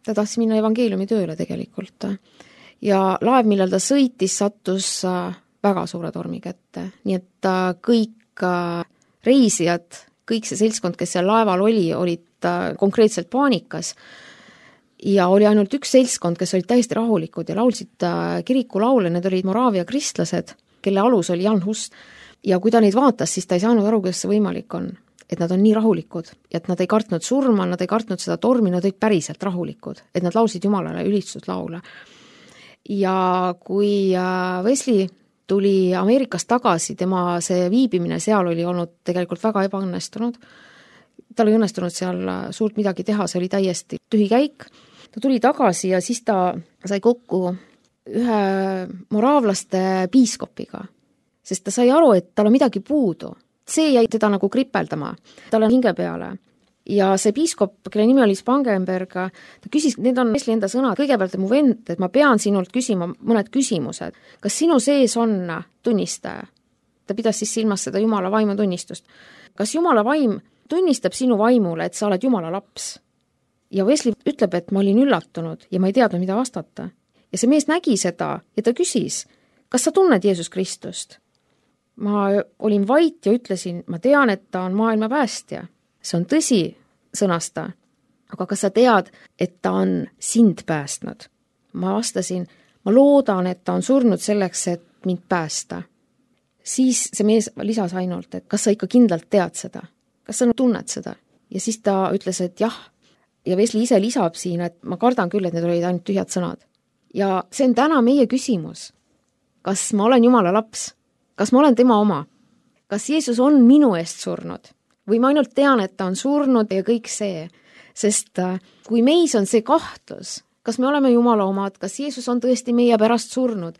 ta tahtis minna evangeeliumi tööle tegelikult. Ja laev, millal ta sõitis, sattus väga suure tormi kätte. Nii et kõik reisijad, kõik see seltskond, kes seal laeval oli, olid konkreetselt paanikas. Ja oli ainult üks seltskond, kes olid täiesti rahulikud ja laulsid kirikulaule, need olid Moraavia kristlased, kelle alus oli Jan Hus. Ja kui ta neid vaatas, siis ta ei saanud aru, kuidas see võimalik on. Et nad on nii rahulikud, et nad ei kartnud surma, nad ei kartnud seda tormi, nad olid päriselt rahulikud, et nad laulsid Jumalale ülistuslaule. Ja kui Wesley tuli Ameerikast tagasi, tema see viibimine seal oli olnud tegelikult väga ebaõnnestunud, tal ei õnnestunud seal suurt midagi teha, see oli täiesti tühi käik, ta tuli tagasi ja siis ta sai kokku ühe moraavlaste piiskopiga, sest ta sai aru, et tal on midagi puudu. See jäi teda nagu kripeldama, tal on hinge peale. Ja see piiskop, kelle nimi oli Spangenberg, ta küsis, need on Wesley enda sõnad, kõigepealt mu vend, et ma pean sinult küsima mõned küsimused. Kas sinu sees on tunnistaja? Ta pidas siis silmas seda Jumala vaimu tunnistust. Kas Jumala vaim tunnistab sinu vaimule, et sa oled Jumala laps? Ja Wesley ütleb, et ma olin üllatunud ja ma ei teadnud, mida vastata. Ja see mees nägi seda ja ta küsis, kas sa tunned Jeesus Kristust? Ma olin vait ja ütlesin, ma tean, et ta on maailma päästja. See on tõsi, sõnas ta. Aga kas sa tead, et ta on sind päästnud? Ma vastasin, ma loodan, et ta on surnud selleks, et mind päästa. Siis see mees lisas ainult, et kas sa ikka kindlalt tead seda? Kas sa tunned seda? Ja siis ta ütles, et jah. Ja Wesley ise lisab siin, et ma kardan küll, et need olid ainult tühjad sõnad. ja see on täna meie küsimus. Kas ma olen Jumala laps? Kas ma olen tema oma? Kas Jeesus on minu eest surnud? Või ma ainult tean, et ta on surnud ja kõik see? Sest kui meis on see kahtlus, kas me oleme Jumala omad, kas Jeesus on tõesti meie pärast surnud,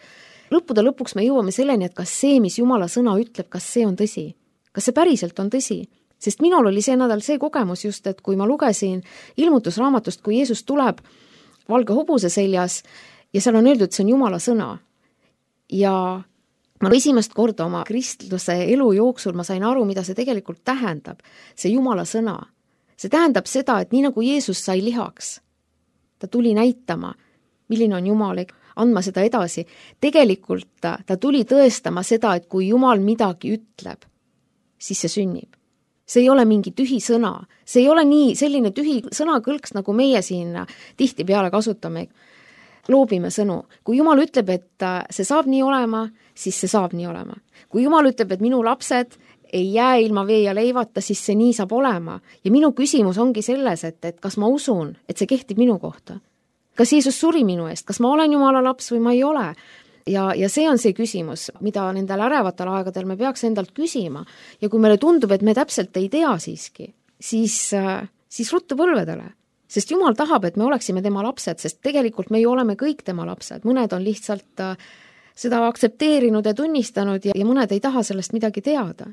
lõppude lõpuks me jõuame selleni, et kas see, mis Jumala sõna ütleb, kas see on tõsi? Kas see päriselt on tõsi? Sest minul oli see nädal see kogemus just, et kui ma lugesin ilmutusraamatust, kui Jeesus tuleb valge hobuse seljas ja seal on öeldud, et see on Jumala sõna. Ja ma esimest korda oma kristluse elu jooksul ma sain aru, mida see tegelikult tähendab, see Jumala sõna. See tähendab seda, et nii nagu Jeesus sai lihaks, ta tuli näitama, milline on Jumal, andma seda edasi. Tegelikult ta, ta tuli tõestama seda, et kui Jumal midagi ütleb, siis see sünnib. See ei ole mingi tühi sõna. See ei ole nii selline tühi sõnakõlks, nagu meie siin tihti peale kasutame. Loobime sõnu. Kui Jumal ütleb, et see saab nii olema, siis see saab nii olema. Kui Jumal ütleb, et minu lapsed ei jää ilma vee ja leivata, siis see nii saab olema. Ja minu küsimus ongi selles, et, et kas ma usun, et see kehtib minu kohta. Kas Jeesus suri minu eest? Kas ma olen Jumala laps või ma ei ole? Ja, ja see on see küsimus, mida nendel ärevatel aegadel me peaks endalt küsima. Ja kui meile tundub, et me täpselt ei tea siiski, siis, siis ruttu põlvedele. Sest Jumal tahab, et me oleksime tema lapsed, sest tegelikult me ju oleme kõik tema lapsed. Mõned on lihtsalt seda aktsepteerinud ja tunnistanud ja, ja mõned ei taha sellest midagi teada.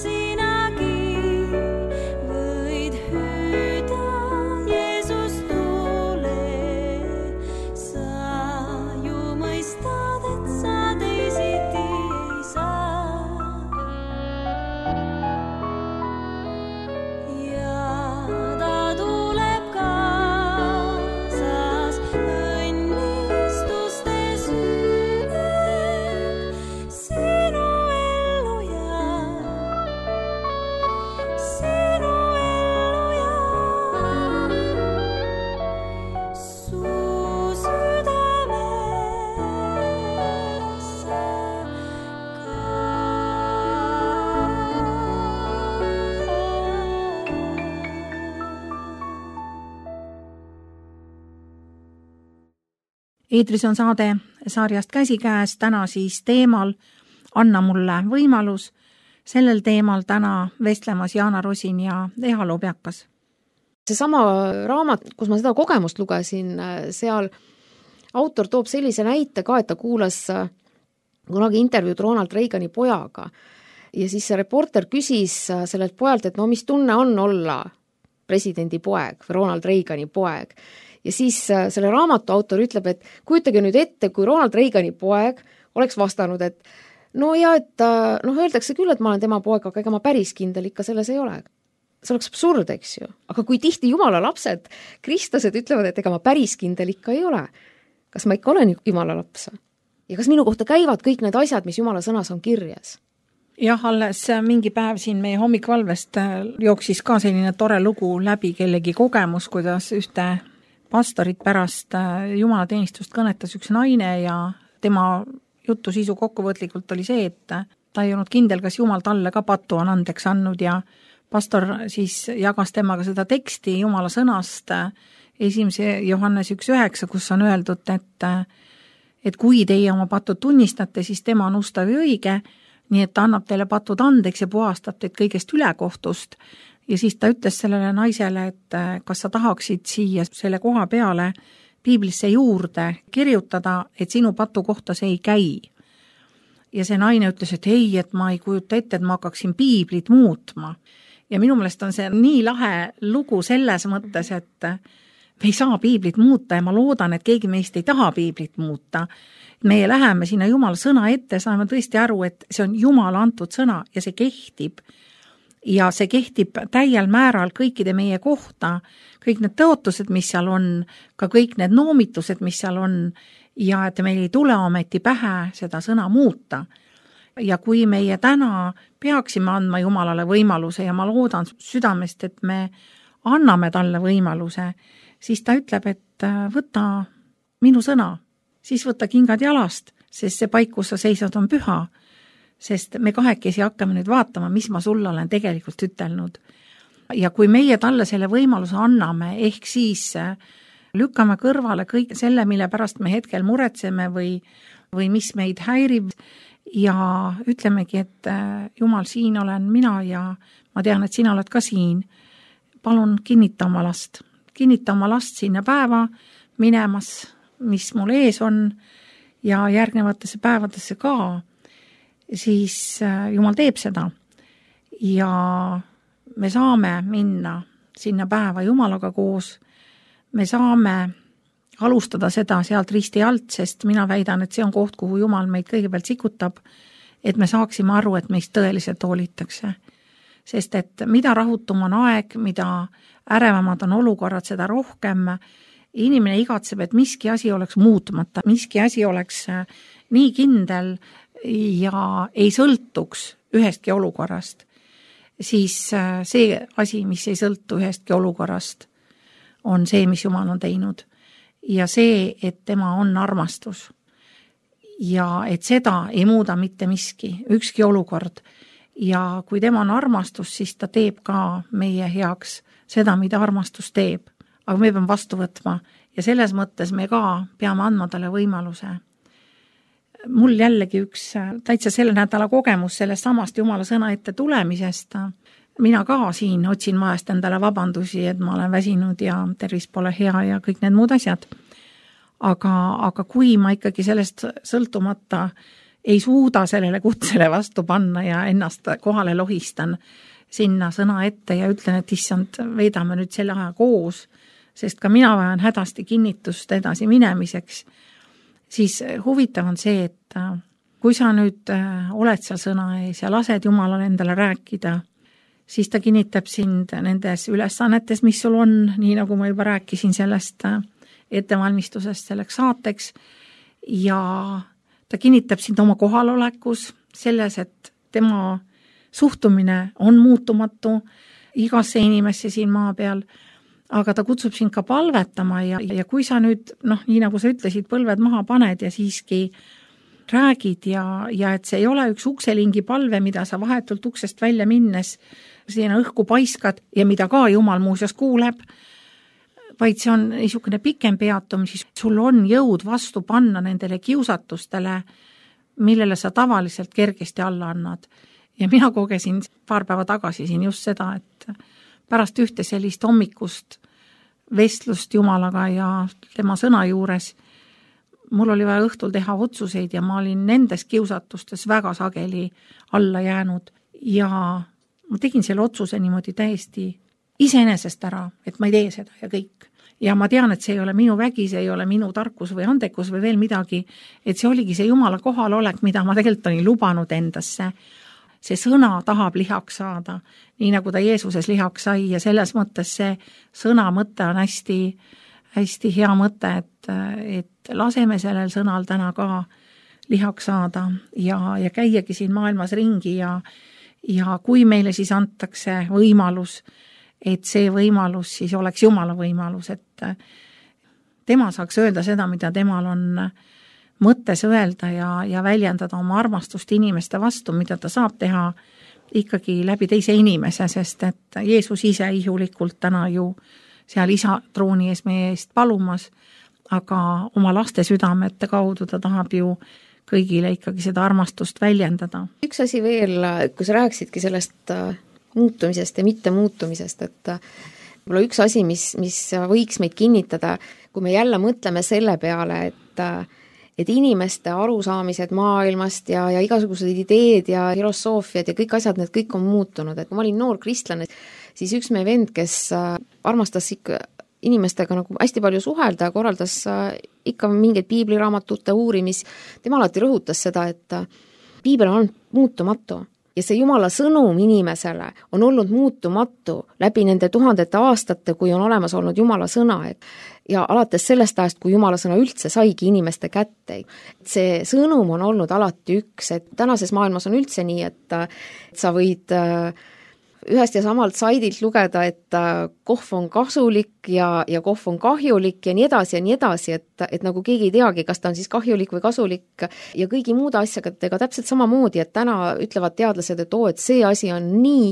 Sinagi võid hüüda Jeesus tule. eetris on saade sarjast Käsikäes, täna siis teemal Anna mulle võimalus. Sellel teemal täna vestlemas Jaana Rosin ja Eha Lobjakas. Seesama raamat, kus ma seda kogemust lugesin, seal autor toob sellise näite ka, et ta kuulas kunagi intervjuud Ronald Reagani pojaga ja siis see reporter küsis sellelt pojalt, et no mis tunne on olla presidendi poeg või Ronald Reagani poeg. Ja siis selle raamatu autor ütleb, et kujutage nüüd ette, kui Ronald Reagani poeg oleks vastanud, et no ja, et noh, öeldakse küll, et ma olen tema poeg, aga ega ma päris kindel ikka selles ei ole. See oleks absurd, eks ju. Aga kui tihti Jumala lapsed, kristlased ütlevad, et ega ma päris kindel ikka ei ole. Kas ma ikka olen Jumala laps? Ja kas minu kohta käivad kõik need asjad, mis Jumala sõnas on kirjas? Jah, alles mingi päev siin meie hommikvalvest jooksis ka selline tore lugu läbi kellegi kogemus, kuidas ühte pastorit pärast Jumala teenistust kõnetas üks naine ja tema jutu sisu kokkuvõtlikult oli see, et ta ei olnud kindel, kas Jumal talle ka patu on andeks andnud ja pastor siis jagas temaga seda teksti Jumala sõnast esimese Johannes üks üheksa, kus on öeldud, et, et kui teie oma patud tunnistate, siis tema on ustav ja õige, nii et ta annab teile patud andeks ja puhastab teid kõigest ülekohtust. Ja siis ta ütles sellele naisele, et kas sa tahaksid siia selle koha peale piiblisse juurde kirjutada, et sinu patu kohta see ei käi. Ja see naine ütles, et ei, et ma ei kujuta ette, et ma hakkaksin piiblit muutma. Ja minu meelest on see nii lahe lugu selles mõttes, et me ei saa piiblit muuta ja ma loodan, et keegi meist ei taha piiblit muuta. Meie läheme sinna Jumala sõna ette, saame tõesti aru, et see on Jumala antud sõna ja see kehtib. Ja see kehtib täiel määral kõikide meie kohta, kõik need tõotused, mis seal on, ka kõik need noomitused, mis seal on, ja et meil ei tule ometi pähe seda sõna muuta. Ja kui meie täna peaksime andma Jumalale võimaluse ja ma loodan südamest, et me anname talle võimaluse, siis ta ütleb, et võta minu sõna, siis võta kingad jalast, sest see paik, kus sa seisad, on püha. Sest me kahekesi hakkame nüüd vaatama, mis ma sulle olen tegelikult ütelnud. Ja kui meie talle selle võimaluse anname, ehk siis lükkame kõrvale kõik selle, mille pärast me hetkel muretseme või, või mis meid häirib ja ütlemegi, et Jumal, siin olen mina ja ma tean, et sina oled ka siin. Palun kinnita oma last. Kinnita oma last sinna päeva minemas, mis mul ees on ja järgnevatesse päevadesse ka. Siis Jumal teeb seda ja me saame minna sinna päeva Jumalaga koos, me saame alustada seda sealt risti alt, sest mina väidan, et see on koht, kuhu Jumal meid kõigepealt sikutab, et me saaksime aru, et meist tõeliselt hoolitakse. Sest et mida rahutum on aeg, mida ärevamad on olukorrad, seda rohkem inimene igatseb, et miski asi oleks muutmata, miski asi oleks nii kindel ja ei sõltuks ühestki olukorrast, siis see asi, mis ei sõltu ühestki olukorrast, on see, mis Jumal on teinud. Ja see, et tema on armastus. Ja et seda ei muuda mitte miski, ükski olukord. Ja kui tema on armastus, siis ta teeb ka meie heaks seda, mida armastus teeb. Aga me peame vastu võtma ja selles mõttes me ka peame andma talle võimaluse. Mul jällegi üks täitsa selle nädala kogemus sellest samast Jumala sõna ette tulemisest. Mina ka siin otsin vahest endale vabandusi, et ma olen väsinud ja tervis pole hea ja kõik need muud asjad. Aga, aga kui ma ikkagi sellest sõltumata ei suuda sellele kutsele vastu panna ja ennast kohale lohistan sinna sõna ette ja ütlen, et issand, veedame nüüd selle aja koos, sest ka mina vajan hädasti kinnitust edasi minemiseks, siis huvitav on see, et kui sa nüüd oled seal sõna ees ja lased Jumalale endale rääkida, siis ta kinnitab sind nendes ülesannetes, mis sul on, nii nagu ma juba rääkisin sellest ettevalmistusest selleks saateks, ja ta kinnitab sind oma kohalolekus selles, et tema suhtumine on muutumatu igasse inimesse siin maa peal, aga ta kutsub sind ka palvetama ja, ja kui sa nüüd, noh, nii nagu sa ütlesid, põlved maha paned ja siiski räägid ja, ja et see ei ole üks ukselingi palve, mida sa vahetult uksest välja minnes sinna õhku paiskad ja mida ka Jumal muuseas kuuleb, vaid see on niisugune pikem peatum, siis sul on jõud vastu panna nendele kiusatustele, millele sa tavaliselt kergesti alla annad. Ja mina kogesin paar päeva tagasi siin just seda, et pärast ühte sellist hommikust vestlust Jumalaga ja tema sõna juures mul oli vaja õhtul teha otsuseid ja ma olin nendes kiusatustes väga sageli alla jäänud ja ma tegin selle otsuse niimoodi täiesti iseenesest ära, et ma ei tee seda ja kõik. Ja ma tean, et see ei ole minu vägi, see ei ole minu tarkus või andekus või veel midagi, et see oligi see Jumala kohalolek, mida ma tegelikult olin lubanud endasse. See sõna tahab lihaks saada, nii nagu ta Jeesuses lihaks sai ja selles mõttes see sõna mõte on hästi, hästi hea mõte, et, et laseme sellel sõnal täna ka lihaks saada ja, ja käiagi siin maailmas ringi ja, ja kui meile siis antakse võimalus, et see võimalus siis oleks Jumala võimalus, et tema saaks öelda seda, mida temal on mõttes öelda ja, ja väljendada oma armastust inimeste vastu, mida ta saab teha ikkagi läbi teise inimese, sest et Jeesus ise ihulikult täna ju seal isa trooni ees meie eest palumas, aga oma laste südamete kaudu ta tahab ju kõigile ikkagi seda armastust väljendada. Üks asi veel, kui sa rääkisidki sellest muutumisest ja mitte muutumisest, et võib-olla üks asi, mis, mis võiks meid kinnitada, kui me jälle mõtleme selle peale, et et inimeste arusaamised maailmast ja, ja igasugused ideed ja filosoofiad ja kõik asjad, need kõik on muutunud. Et kui ma olin noor kristlane, siis üks meie vend, kes armastas ikka inimestega nagu hästi palju suhelda ja korraldas ikka mingeid piibliraamatute uurimis, tema alati rõhutas seda, et piibel on muutumatu. Ja see Jumala sõnum inimesele on olnud muutumatu läbi nende tuhandete aastate, kui on olemas olnud Jumala sõna. Ja alates sellest ajast, kui Jumala sõna üldse saigi inimeste kätte. See sõnum on olnud alati üks, et tänases maailmas on üldse nii, et sa võid ühest ja samalt saidilt lugeda, et kohv on kasulik ja, ja kohv on kahjulik ja nii edasi ja nii edasi, et, et nagu keegi ei teagi, kas ta on siis kahjulik või kasulik ja kõigi muude asjagadega täpselt samamoodi, et täna ütlevad teadlased, et oo, et see asi on nii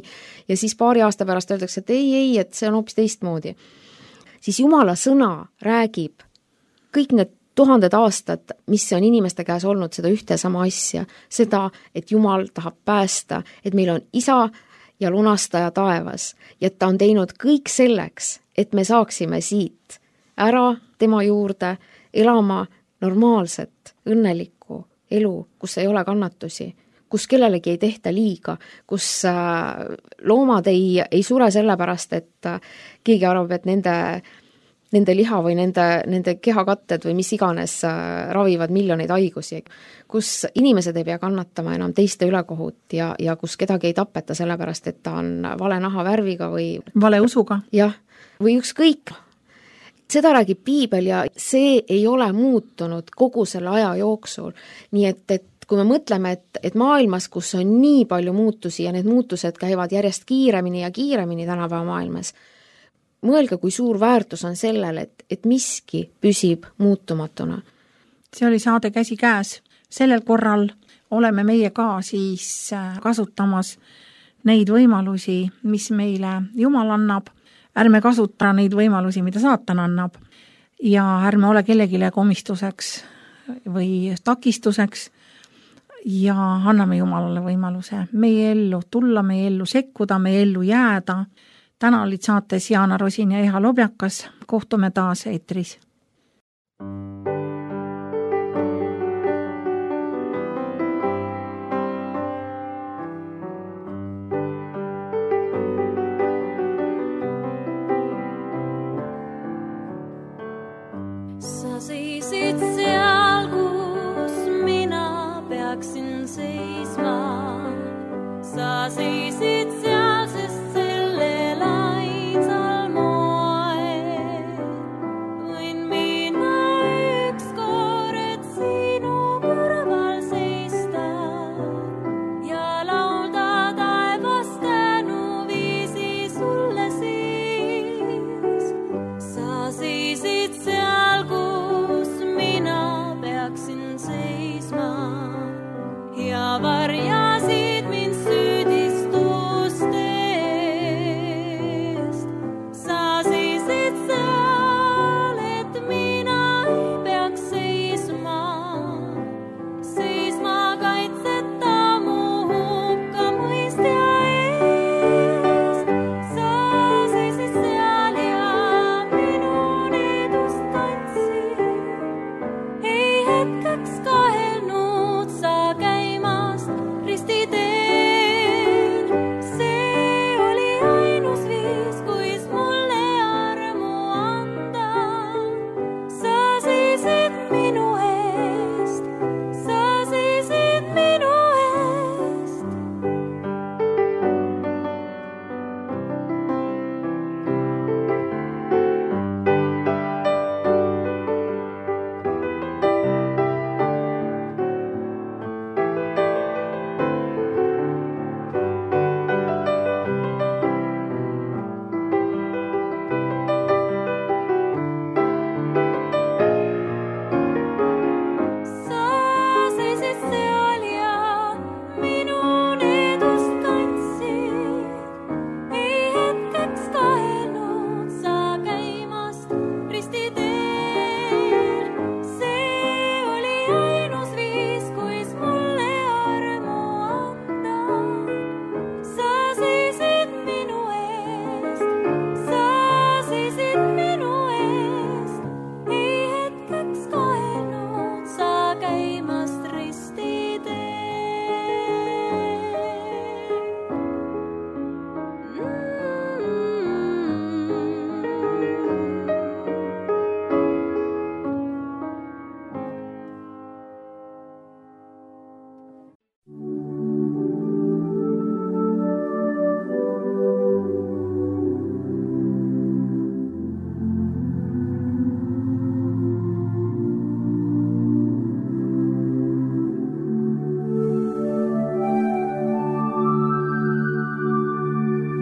ja siis paari aasta pärast öeldakse, et ei, ei, et see on hoopis teistmoodi. Siis Jumala sõna räägib kõik need tuhanded aastad, mis on inimeste käes olnud seda ühte ja sama asja, seda, et Jumal tahab päästa, et meil on isa ja lunastaja taevas ja ta on teinud kõik selleks, et me saaksime siit ära tema juurde elama normaalset, õnnelikku elu, kus ei ole kannatusi, kus kellelegi ei tehta liiga, kus loomad ei, ei sure sellepärast, et keegi arvab, et nende, nende liha või nende, nende kehakatted või mis iganes ravivad miljoneid haigusi, kus inimesed ei pea kannatama enam teiste ülekohut ja, ja kus kedagi ei tapeta sellepärast, et ta on vale nahavärviga või vale usuga. Jah, või ükskõik. Seda räägib piibel ja see ei ole muutunud kogu selle aja jooksul. Nii et, et kui me mõtleme, et, et maailmas, kus on nii palju muutusi ja need muutused käivad järjest kiiremini ja kiiremini tänapäeva maailmas, mõelge, kui suur väärtus on sellel, et, et miski püsib muutumatuna. See oli saade Käsi käes. Sellel korral oleme meie ka siis kasutamas neid võimalusi, mis meile Jumal annab. Ärme kasuta neid võimalusi, mida saatan annab. Ja ärme ole kellegile komistuseks või takistuseks ja anname Jumalale võimaluse meie ellu tulla, meie ellu sekkuda, meie ellu jääda. Täna olid saates Jaana Rosin ja Eha Lobjakas. Kohtume taas eetris. Sa seisid seal, kus mina peaksin seisma. Sa seisid seal, sest sellel ainsal moel võin mina ükskord sinu kõrval seista ja laulda taevas tänuviisi sulle siis. Sa seisid seal, kus mina peaksin seisma ja varjasid mind süüdistus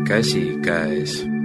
käsikäes.